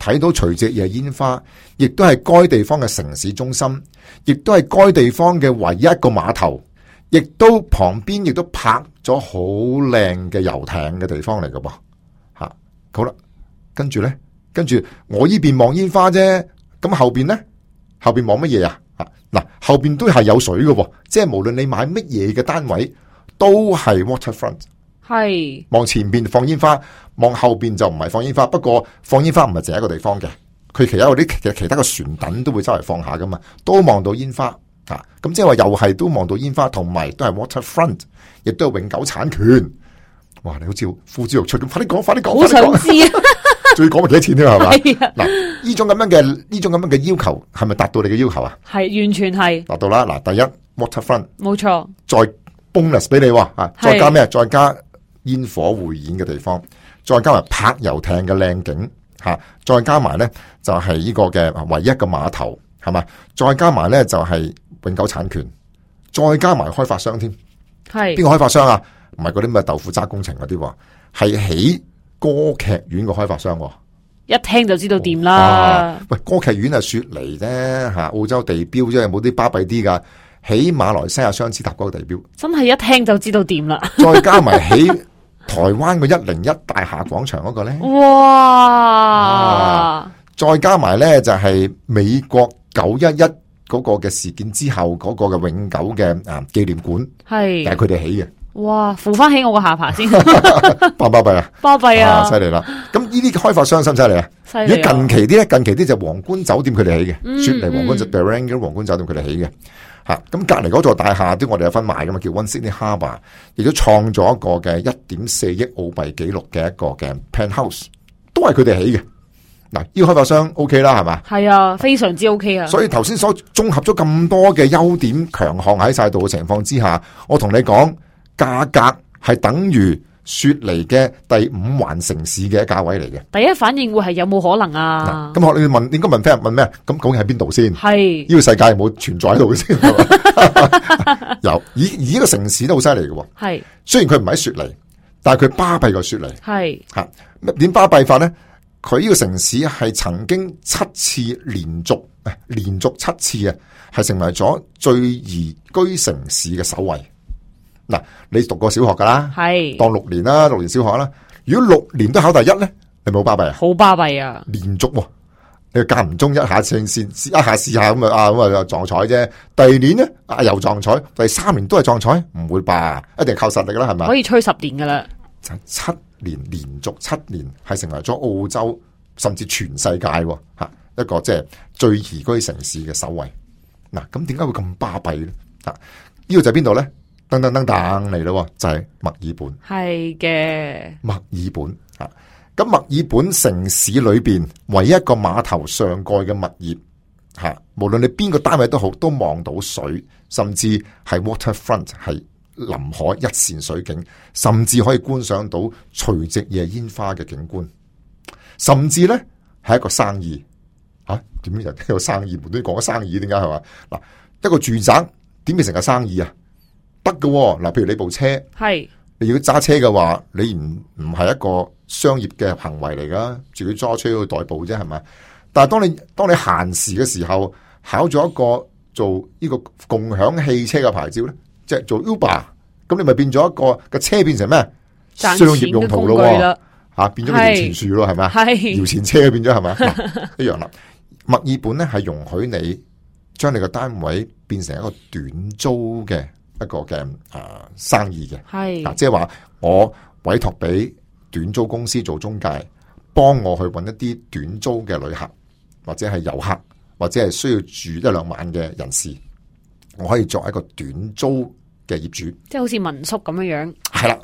睇到除夕夜煙花，亦都係該地方嘅城市中心，亦都係該地方嘅唯一一個碼頭，亦都旁邊亦都泊咗好靚嘅遊艇嘅地方嚟㗎噃。吓，好啦，跟住咧，跟住我呢邊望煙花啫，咁後邊咧，後邊望乜嘢啊？吓，嗱，後邊都係有水㗎，即係無論你買乜嘢嘅單位，都係 waterfront。係望前邊放煙花，望後邊就唔係放煙花。不過放煙花唔係淨係一個地方嘅，佢其他嗰啲其其他嘅船躉都會周圍放下噶嘛，都望到煙花啊！咁即係話又係都望到煙花，同埋都係 waterfront， 亦都係永久產權。哇！你好似呼之欲出咁，快啲講，快啲講，好想知啊！仲要講埋幾多錢添係嘛？嗱，呢種咁樣嘅呢種咁樣嘅要求係咪達到你嘅要求啊？係完全係達到啦！嗱，第一 waterfront 冇錯，再 bonus 俾你啊！再加咩？再加煙火匯演嘅地方，再加埋泊遊艇嘅靚景吓，再加埋咧就係呢個嘅唯一嘅碼頭係嘛，再加埋咧就係永久產權，再加埋開發商添，係邊個開發商啊？唔係嗰啲咩豆腐渣工程嗰啲，係起歌劇院嘅開發商，一聽就知道掂啦。喂，歌劇院係雪梨啫吓，澳洲地標啫，有冇啲巴閉啲噶？起馬來西亞雙子塔嗰個地標，真係一聽就知道掂啦。再加埋起台灣個一零一大廈廣場嗰個咧，哇！再加埋咧就係美國九一一嗰個嘅事件之後嗰個嘅永久嘅啊紀念館，係係佢哋起嘅。哇！扶翻起我個下巴先，巴巴閉啊，巴閉啊，犀利啦！咁呢啲開發商犀唔犀利啊？犀利！如果近期啲咧，近期啲就皇冠酒店佢哋起嘅，嗯、雪梨皇冠就 Barangaroo 皇冠酒店佢哋起嘅。吓，咁隔籬嗰座大廈都我哋有分賣噶嘛，叫 One Sydney Harbour， 亦都創咗一個嘅一點四億澳幣紀錄嘅一個嘅 penthouse， 都係佢哋起嘅。嗱，呢個開發商 OK 啦，係嘛？係啊，非常之 OK 啊。所以頭先所綜合咗咁多嘅優點強項喺晒度嘅情況之下，我同你講，價格係等於雪梨嘅第五環城市嘅價位嚟嘅。第一反應會係有冇可能啊？咁我你問應該問 friend 問咩？咁究竟喺邊度先？係呢個世界有冇存在喺度嘅先？有，而而呢個城市都好犀利嘅。係雖然佢唔喺雪梨，但係佢巴閉過雪梨。係吓點巴閉法咧？佢呢個城市係曾經七次連續誒連續七次啊，係成為咗最宜居城市嘅首位。嗱，你讀過小學噶啦，係當六年啦，六年小學啦。如果六年都考第一咧，你冇巴閉啊？好巴閉啊！連續，你間唔中一下試試一下試下咁啊，咁啊撞彩啫。第二年咧啊又撞彩，第三年都係撞彩，唔會吧？一定靠實力啦，係咪？可以吹十年噶啦，就七年連續七年係成為咗澳洲甚至全世界吓一個即係最宜居城市嘅首位。嗱，咁點解會咁巴閉咧？啊，呢個就係邊度咧？噔噔噔噔嚟咯，就係墨爾本。係嘅，墨爾本啊，咁墨爾本城市裏邊唯一一個碼頭上蓋嘅物業吓，無論你邊個單位都好，都望到水，甚至係 waterfront 係臨海一線水景，甚至可以觀賞到除夕夜煙花嘅景觀，甚至咧係一個生意吓，點解人哋有生意？無端端講咗生意，點解係嘛？嗱，一個住宅點變成個生意啊？得嘅嗱，譬如你部車係你要揸車嘅話，你唔唔係一個商業嘅行為嚟噶，自己揸車去代步啫，係咪？但係當你當你閒時嘅時候，考咗一個做呢個共享汽車嘅牌照咧，即係做 Uber，咁你咪變咗一個個車變成咩？商業用途咯，吓變咗個搖錢樹咯，係咪？係搖錢車變咗係咪？一樣啦。墨爾本咧係容許你將你個單位變成一個短租嘅一個嘅誒、呃、生意嘅，係嗱，即係話我委託俾短租公司做中介，幫我去揾一啲短租嘅旅客，或者係遊客，或者係需要住一兩晚嘅人士，我可以作一個短租嘅業主，即係好似民宿咁樣樣。係啦，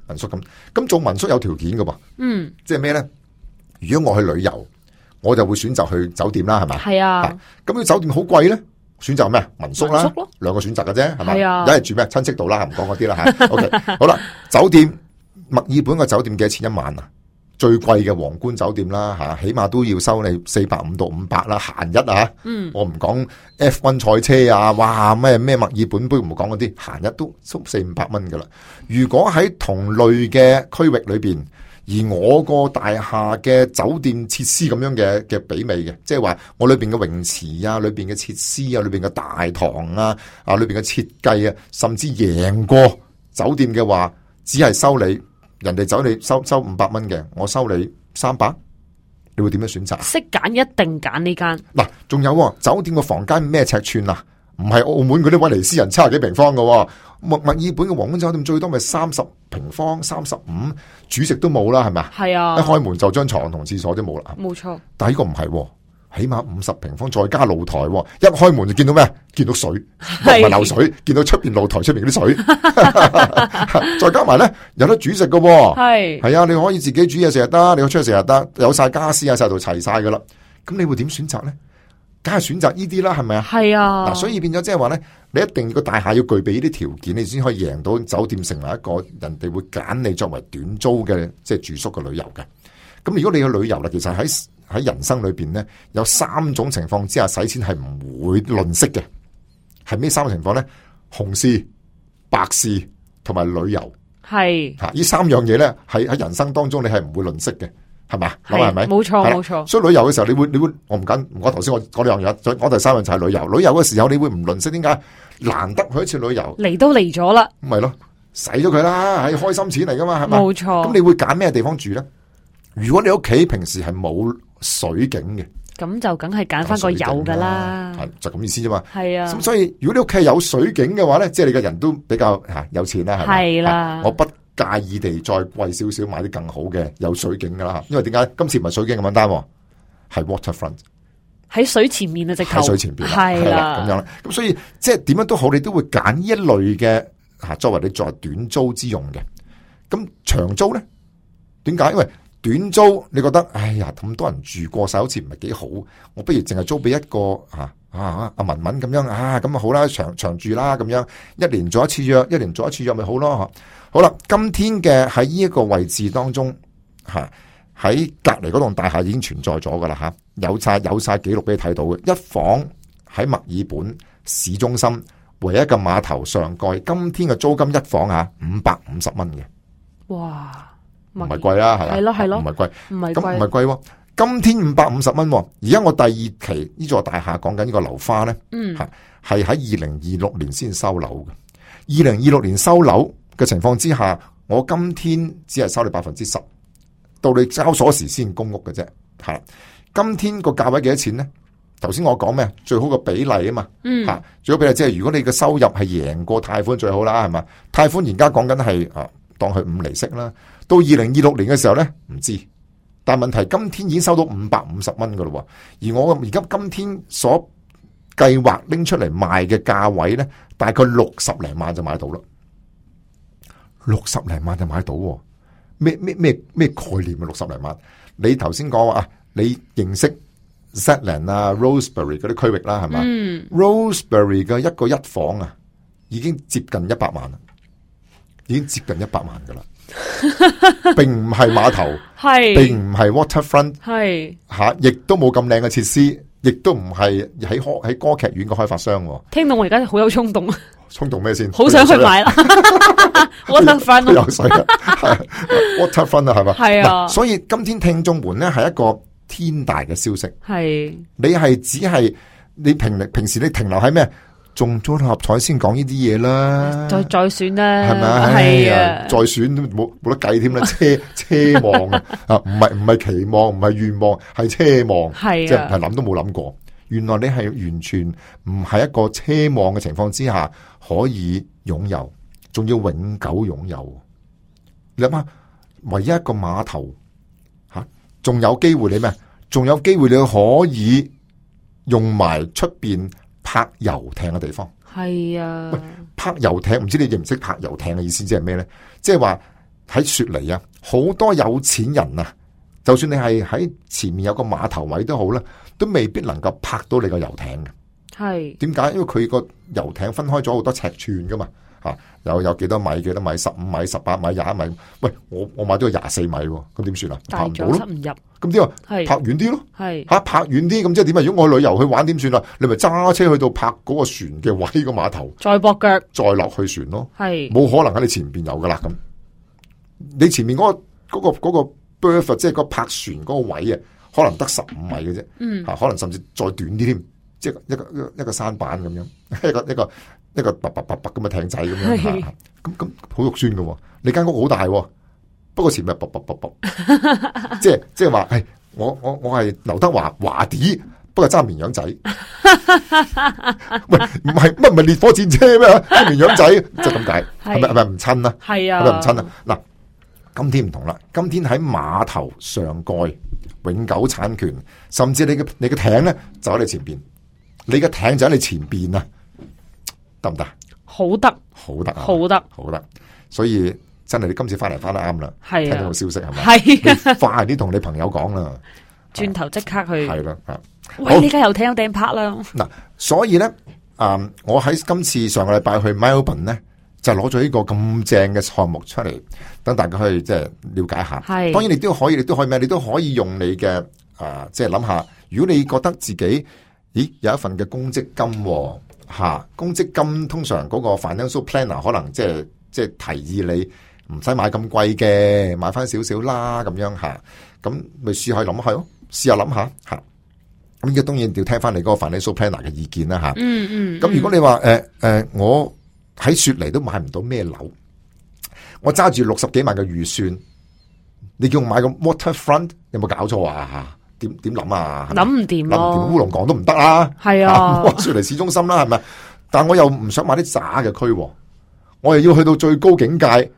民宿咁，咁做民宿有條件噶噃，嗯，即係咩咧？如果我去旅遊，我就會選擇去酒店啦，係咪？係啊，咁啲酒店好貴咧。選擇咩？民宿啦，兩個選擇嘅啫，係咪？一係住咩？親戚度啦，唔講嗰啲啦吓。OK，好啦，酒店墨爾本個酒店幾多錢一晚啊？最貴嘅皇冠酒店啦吓，起碼都要收你四百五到五百啦，閒日啊。嗯，我唔講 F 一 賽車啊，哇咩咩墨爾本杯唔講嗰啲，閒日都收四五百蚊噶啦。如果喺同類嘅區域裏邊，而我個大廈嘅酒店設施咁樣嘅嘅比美嘅，即係話我裏邊嘅泳池啊，裏邊嘅設施啊，裏邊嘅大堂啊，啊裏邊嘅設計啊，甚至贏過酒店嘅話，只係收你人哋走你收收五百蚊嘅，我收你三百，你會點樣選擇？識揀一定揀呢間。嗱，仲有酒店個房間咩尺寸啊？唔係澳門嗰啲威尼斯人七十幾平方嘅，墨墨爾本嘅皇冠酒店最多咪三十平方，三十五，煮食都冇啦，係咪啊？係啊！一開門就張床同廁所都冇啦。冇錯。但係呢個唔係，起碼五十平方，再加露台，一開門就見到咩？見到水，唔係流水，見到出邊露台出邊嗰啲水，再加埋咧有得煮食嘅，係係啊！你可以自己煮嘢食又得，你可以出去食又得，有晒家私啊，晒度齊晒噶啦。咁你會點選擇咧？梗係選擇呢啲啦，係咪啊？係啊，嗱，所以變咗即係話咧，你一定個大廈要具備呢啲條件，你先可以贏到酒店成為一個人哋會揀你作為短租嘅即係住宿嘅旅遊嘅。咁如果你去旅遊啦，其實喺喺人生裏邊咧，有三種情況之下使錢係唔會吝嗇嘅。係咩三個情況咧？紅事、白事同埋旅遊。係吓呢三樣嘢咧，喺喺人生當中你係唔會吝嗇嘅。係嘛？係咪？冇錯，冇錯。所以旅遊嘅時候，你會，你會，我唔緊唔講頭先，我講兩樣，再講第三樣就係旅遊。旅遊嘅時候，你會唔吝嗇？點解？難得去一次旅遊，嚟都嚟咗啦，咁咪咯，使咗佢啦，係開心錢嚟噶嘛，係咪？冇錯。咁你會揀咩地方住咧？如果你屋企平時係冇水景嘅，咁就梗係揀翻個有噶啦，係就咁意思啫嘛。係啊。咁所以如果你屋企有水景嘅話咧，即係你個人都比較吓有錢啦，係咪？係啦。我不介意地再貴少少買啲更好嘅有水景噶啦，因為點解今次唔係水景咁簡單，係 waterfront 喺水前面啊，直頭喺水前邊係啦，咁樣啦。咁所以即係點樣都好，你都會揀呢一類嘅吓，作為你作為短租之用嘅。咁長租咧，點解？因為短租你覺得哎呀咁多人住過晒，好似唔係幾好，我不如淨係租俾一個啊啊阿文文咁樣啊，咁啊好啦，長長住啦，咁樣一年做一次約，一年做一次約咪好咯。好啦，今天嘅喺呢一個位置當中，吓喺隔籬嗰棟大廈已經存在咗噶啦吓，有晒有晒記錄俾你睇到嘅。一房喺墨爾本市中心唯一嘅碼頭上蓋，今天嘅租金一房吓五百五十蚊嘅。哇，唔係貴啦，係啦，係咯係咯，唔係貴，唔係咁唔係貴。今天五百五十蚊，而家我第二期呢座大廈講緊呢個樓花咧，嗯，係喺二零二六年先收樓嘅。二零二六年收樓嘅情況之下，我今天只係收你百分之十，到你交鎖匙先供屋嘅啫。係，今天個價位幾多錢咧？頭先我講咩？最好個比例啊嘛，嗯，吓最好比例即係如果你嘅收入係贏過貸款最好啦，係嘛？貸款而家講緊係啊，當佢五厘息啦，到二零二六年嘅時候咧，唔知。但係問題今天已經收到五百五十蚊噶咯，而我而家今天所計劃拎出嚟賣嘅價位咧，大概六十零萬就買到啦。六十零萬就買到，咩咩咩咩概念啊？六十零萬，你頭先講話啊，你認識 Zetland 啊、Rosebery 嗰啲區域啦，係嘛？嗯、Rosebery 嘅一個一房啊，已經接近一百萬啦，已經接近一百萬噶啦，並唔係碼頭，係並唔係 waterfront， 係吓，亦都冇咁靚嘅設施，亦都唔係喺喺歌劇院嘅開發商。聽到我而家好有衝動啊！衝動咩先？好想去買啦！Waterfront 有水啊，Waterfront 啊，係嘛？係啊。所以今天聽眾們咧係一個天大嘅消息。係你係只係你平平時你停留喺咩？中咗六合彩先講呢啲嘢啦，再再選啦，係咪？係啊，再選都冇冇得計添啦，奢奢望啊，啊唔係唔係期望，唔係願望，係奢望，係即係係諗都冇諗過。原來你係完全唔係一個奢望嘅情況之下可以擁有，仲要永久擁有。你諗下，唯一一個碼頭吓，仲有機會你咩？仲有機會你可以用埋出邊泊遊艇嘅地方。係啊，喂，泊遊艇唔知你認唔識泊遊艇嘅意思即係咩咧？即係話喺雪梨啊，好多有錢人啊，就算你係喺前面有個碼頭位都好啦，都未必能夠泊到你個遊艇嘅。係點解？因為佢個遊艇分開咗好多尺寸噶嘛，吓有有幾多米、幾多米、十五米、十八米、廿米。喂，我我買咗個廿四米，咁點算啊？泊唔到咯，唔入。咁點啊？係泊遠啲咯。係吓泊遠啲，咁即係點啊？如果我去旅遊去玩，點算啊？你咪揸車去到泊嗰個船嘅位個碼頭，再駁腳，再落去船咯。係冇可能喺你前邊有噶啦。咁你前面嗰、嗰個、嗰個、嗰個 berth 即係個泊船嗰個位啊，可能得十五米嘅啫。嗯，吓可能甚至再短啲添。即係一個一個一個舢板咁樣，一個一個一個白白白白咁嘅艇仔咁樣，咁咁好肉酸嘅。你間屋好大，不過前面白白白白，即係即係話，係我我我係劉德華華啲，不過揸綿羊仔。喂，唔係乜唔係烈火戰車咩？揸綿羊仔就咁解，係咪係咪唔親啊？係啊，係咪唔親啊？嗱，今天唔同啦，今天喺碼頭上蓋永久產權，甚至你嘅你嘅艇咧就喺你前邊。你嘅艇就喺你前邊啊，得唔得？好得，好得，好得，好得。所以真係你今次翻嚟翻得啱啦，聽到個消息係咪？係，快啲同你朋友講啦，轉頭即刻去。係啦，啊，喂，呢家遊艇有訂泊啦。嗱，所以咧，啊、嗯，我喺今次上個禮拜去 Melbourne 咧，就攞咗呢個咁正嘅項目出嚟，等大家可以即係了解下。係，當然你都可以，你都可以咩？你都可以用你嘅啊，即係諗下，如果你覺得自己咦，有一份嘅公積金吓、啊，公積金通常嗰個 financial planner 可能即係即係提議你唔使買咁貴嘅，買翻少少啦咁樣吓，咁咪試下諗下咯，試下諗下吓。咁而家當然要聽翻你嗰個 financial planner 嘅意見啦吓。嗯嗯。咁如果你話誒誒，我喺雪梨都買唔到咩樓，我揸住六十幾萬嘅預算，你叫我買個 waterfront， 有冇搞錯啊？點點諗啊？諗唔掂咯，諗唔掂烏龍港都唔得啦。係啊，雪梨市中心啦，係咪？但我又唔想買啲渣嘅區，我又要去到最高境界，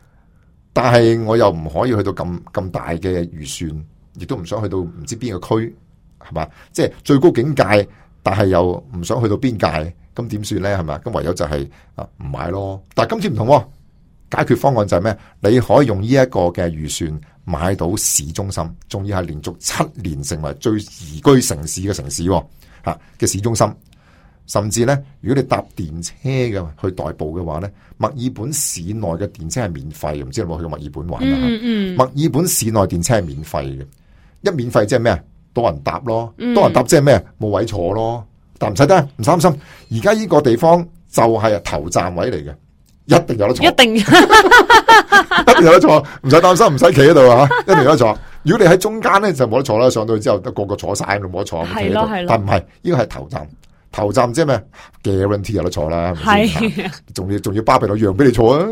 但係我又唔可以去到咁咁大嘅預算，亦都唔想去到唔知邊個區，係嘛？即係最高境界，但係又唔想去到邊界，咁點算咧？係咪？咁唯有就係啊唔買咯。但係今次唔同，解決方案就係咩？你可以用呢一個嘅預算買到市中心，仲要係連續七年成為最宜居城市嘅城市吓嘅市中心。甚至咧，如果你搭電車嘅去代步嘅話咧，墨爾本市內嘅電車係免費，唔知你有冇去過墨爾本玩啊？嗯嗯，墨爾本市內電車係免費嘅，一免費即係咩？多人搭咯，多人搭即係咩？冇位坐咯，但唔使得，唔擔心。而家呢個地方就係頭站位嚟嘅。一定有得坐，一定，一定有得坐，唔使擔心，唔使企喺度啊！一定有得坐。如果你喺中間咧，就冇得坐啦。上到去之後，得個個坐晒，就冇得坐。係咯係咯。但唔係，呢個係頭站，頭站即係咩 ？guarantee 有得坐啦。係，仲要仲要巴閉到讓俾你坐啊！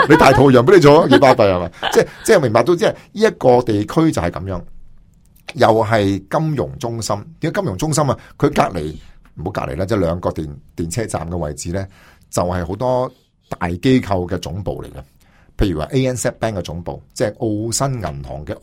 你大肚讓俾你坐，幾巴閉係嘛？即係即係明白到，即係呢一個地區就係咁樣，又係金融中心。點解金融中心啊？佢隔籬唔好隔籬啦，即係兩個電電車站嘅位置咧，就係好多大機構嘅總部嚟嘅，譬如話 A N Z Bank 嘅總部，即係澳新銀行嘅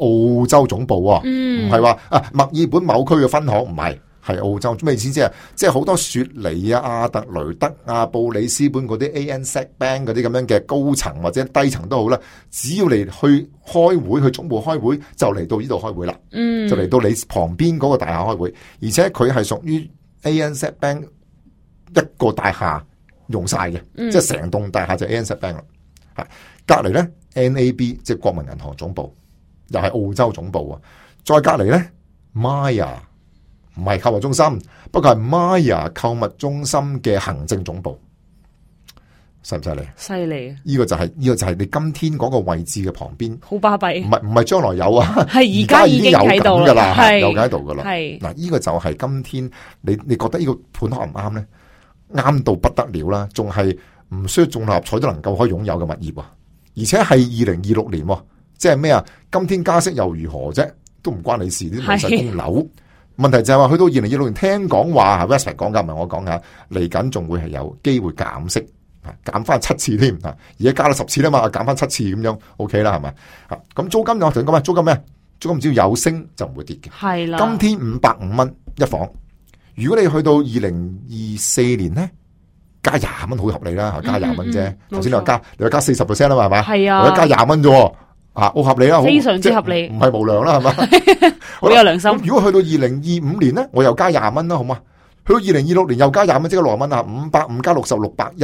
澳洲總部喎，唔係話啊墨爾本某區嘅分行，唔係，係澳洲。咩意思啫？即係好多雪梨啊、阿特雷德啊、布里斯本嗰啲 A N Z Bank 嗰啲咁樣嘅高層或者低層都好啦，只要你去開會，去總部開會，就嚟到呢度開會啦，嗯，就嚟到你旁邊嗰個大廈開會，而且佢係屬於 A N Z Bank 一個大廈用晒嘅，嗯，即係成棟大廈就 A N Z Bank 啦。係隔籬咧 N A B 即係國民銀行總部，又係澳洲總部啊。再隔籬咧 Maya 唔係購物中心，不過係 Maya 購物中心嘅行政總部，犀唔犀利？犀利啊！呢個就係、是、呢、這個就係你今天嗰個位置嘅旁邊，好巴閉。唔係唔係將來有啊，係而家已經有緊噶啦，有緊喺度噶啦。係嗱，呢個就係今天你你覺得呢個盤合唔啱咧？啱到不得了啦，仲係唔需要中六合彩都能夠可以擁有嘅物業啊！而且係二零二六年，即係咩啊？今天加息又如何啫？都唔關你事，啲老細供樓。問題就係話去到二零二六年，聽講話 Westpac 講噶，唔係我講噶，嚟緊仲會係有機會減息，減翻七次添啊！而家加咗十次啦嘛，減翻七次咁樣 OK 啦，係咪？啊，咁租金我同你講咩？租金咩？租金只要有升就唔會跌嘅。係啦，今天五百五蚊一房，如果你去到二零二四年咧，加廿蚊好合理啦，加廿蚊啫。頭先你話加，你話加四十 percent 啦嘛，係咪？係啊，我加廿蚊啫。啊，好合理啦，非常之合理，唔係無良啦，係嘛？好有良心。如果去到二零二五年咧，我又加廿蚊啦，好嘛？去到二零二六年又加廿蚊，即係六十蚊啊！五百五加六十，六百一，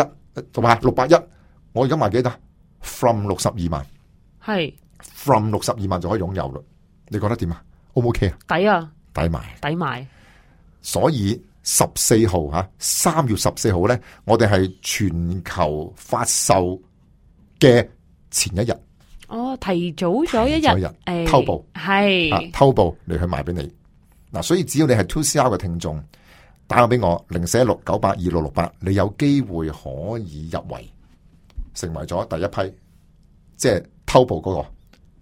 同埋六百一，我而家賣幾多 ？From 六十二萬，係 From 六十二萬就可以擁有啦。你覺得點啊 ？O 唔 OK 啊？抵啊！抵買，抵買。所以十四號吓，三月十四號咧，我哋係全球發售嘅前一日。哦，提早咗一日，誒、哎，偷步係、啊，偷步嚟去賣俾你嗱、啊，所以只要你係 two C R 嘅聽眾，打個俾我零四一六九八二六六八，你有機會可以入圍，成為咗第一批，即係偷步嗰、那個，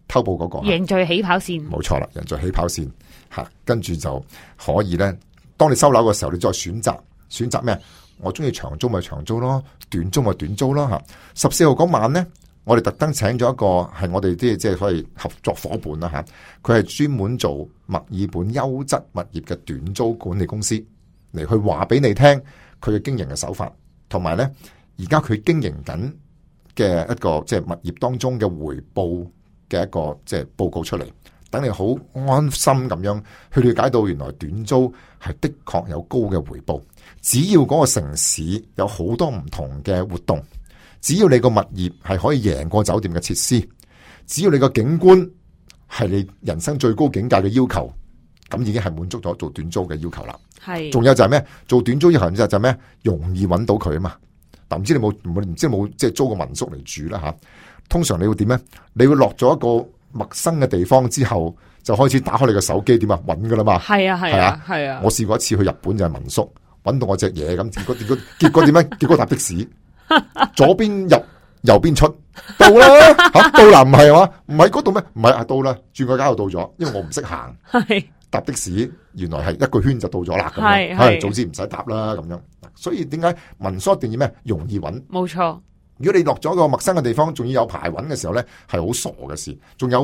偷步嗰、那個，贏在起跑線，冇錯啦，贏在起跑線吓、啊，跟住就可以咧。當你收樓嘅時候，你再選擇選擇咩？我中意長租咪長租咯，短租咪短租咯吓。十四號嗰晚咧。我哋特登請咗一個係我哋啲即係所謂合作伙伴啦吓，佢係專門做墨爾本優質物業嘅短租管理公司嚟去話俾你聽佢嘅經營嘅手法，同埋咧而家佢經營緊嘅一個即係物業當中嘅回報嘅一個即係報告出嚟，等你好安心咁樣去了解到原來短租係的確有高嘅回報，只要嗰個城市有好多唔同嘅活動。只要你個物業係可以贏過酒店嘅設施，只要你個景觀係你人生最高境界嘅要求，咁已經係滿足咗做短租嘅要求啦。係，仲有就係咩？做短租要求就係咩？容易揾到佢啊嘛。嗱，唔知你冇唔唔知冇即係租個民宿嚟住啦吓？通常你會點咧？你會落咗一個陌生嘅地方之後，就開始打開你個手機點啊揾噶啦嘛。係啊係啊係啊！我試過一次去日本就係民宿，揾到我隻嘢咁，結果結果結果點咧？結果搭的士。左邊入右邊出到啦吓，到啦唔係嘛？唔係嗰度咩？唔係啊，到啦，轉個街就到咗，因為我唔識行，搭的士原來係一個圈就到咗啦，咁樣係早知唔使搭啦咁樣。所以點解民宿一定要咩？容易揾，冇錯。如果你落咗個陌生嘅地方，仲要有排揾嘅時候咧，係好傻嘅事。仲有，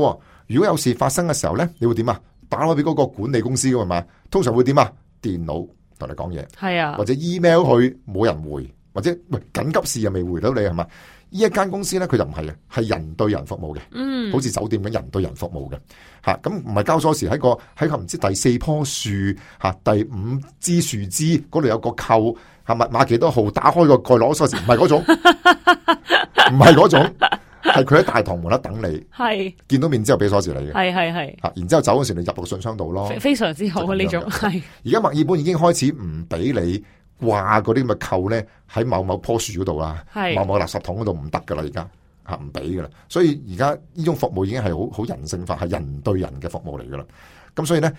如果有事發生嘅時候咧，你會點啊？打開俾嗰個管理公司噶嘛？通常會點啊？電腦同你講嘢，係啊，或者 email 去冇人回。或者喂緊急事又未回到你係嘛？呢一間公司咧，佢就唔係嘅，係人對人服務嘅，嗯，好似酒店咁人對人服務嘅嚇。咁唔係交鎖匙喺個喺個唔知第四棵樹嚇、啊、第五支樹枝嗰度有個扣嚇，密碼幾多號，打開個蓋攞鎖匙，唔係嗰種，唔係嗰種，係佢喺大堂門口等你，係見到面之後俾鎖匙你嘅，係係係嚇，然之後走嗰時你入到個信箱度咯，非常之好啊呢種係。而家墨爾本已經開始唔俾你掛嗰啲咁嘅扣咧喺某某棵樹嗰度啦，某某垃圾桶嗰度唔得噶啦，而家吓唔俾噶啦，所以而家呢種服務已經係好好人性化，係人對人嘅服務嚟噶啦。咁所以咧，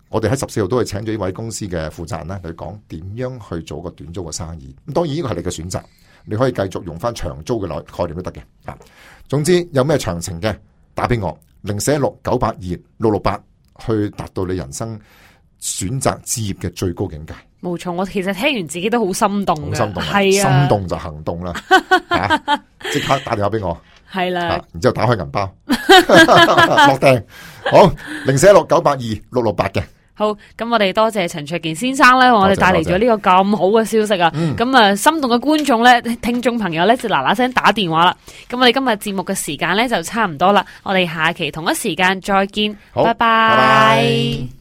我哋喺十四號都係請咗呢位公司嘅負責人咧嚟講點樣去做個短租嘅生意。咁當然呢個係你嘅選擇，你可以繼續用翻長租嘅概念都得嘅。啊，總之有咩詳情嘅打俾我零四一六九八二六六八，去達到你人生選擇置業嘅最高境界。冇錯，我其實聽完自己都好心動嘅，好心動，係啊，心動就行動啦，吓、啊，即刻打電話俾我係啦，然之後打開銀包落訂，好零四一六九八二六六八嘅。好，咁我哋多謝陳焯楗先生咧，為我哋帶嚟咗呢個咁好嘅消息啊！咁啊、嗯，心動嘅觀眾咧、聽眾朋友咧，就嗱嗱聲打電話啦。咁我哋今日節目嘅時間咧就差唔多啦，我哋下期同一時間再見，拜拜。拜拜。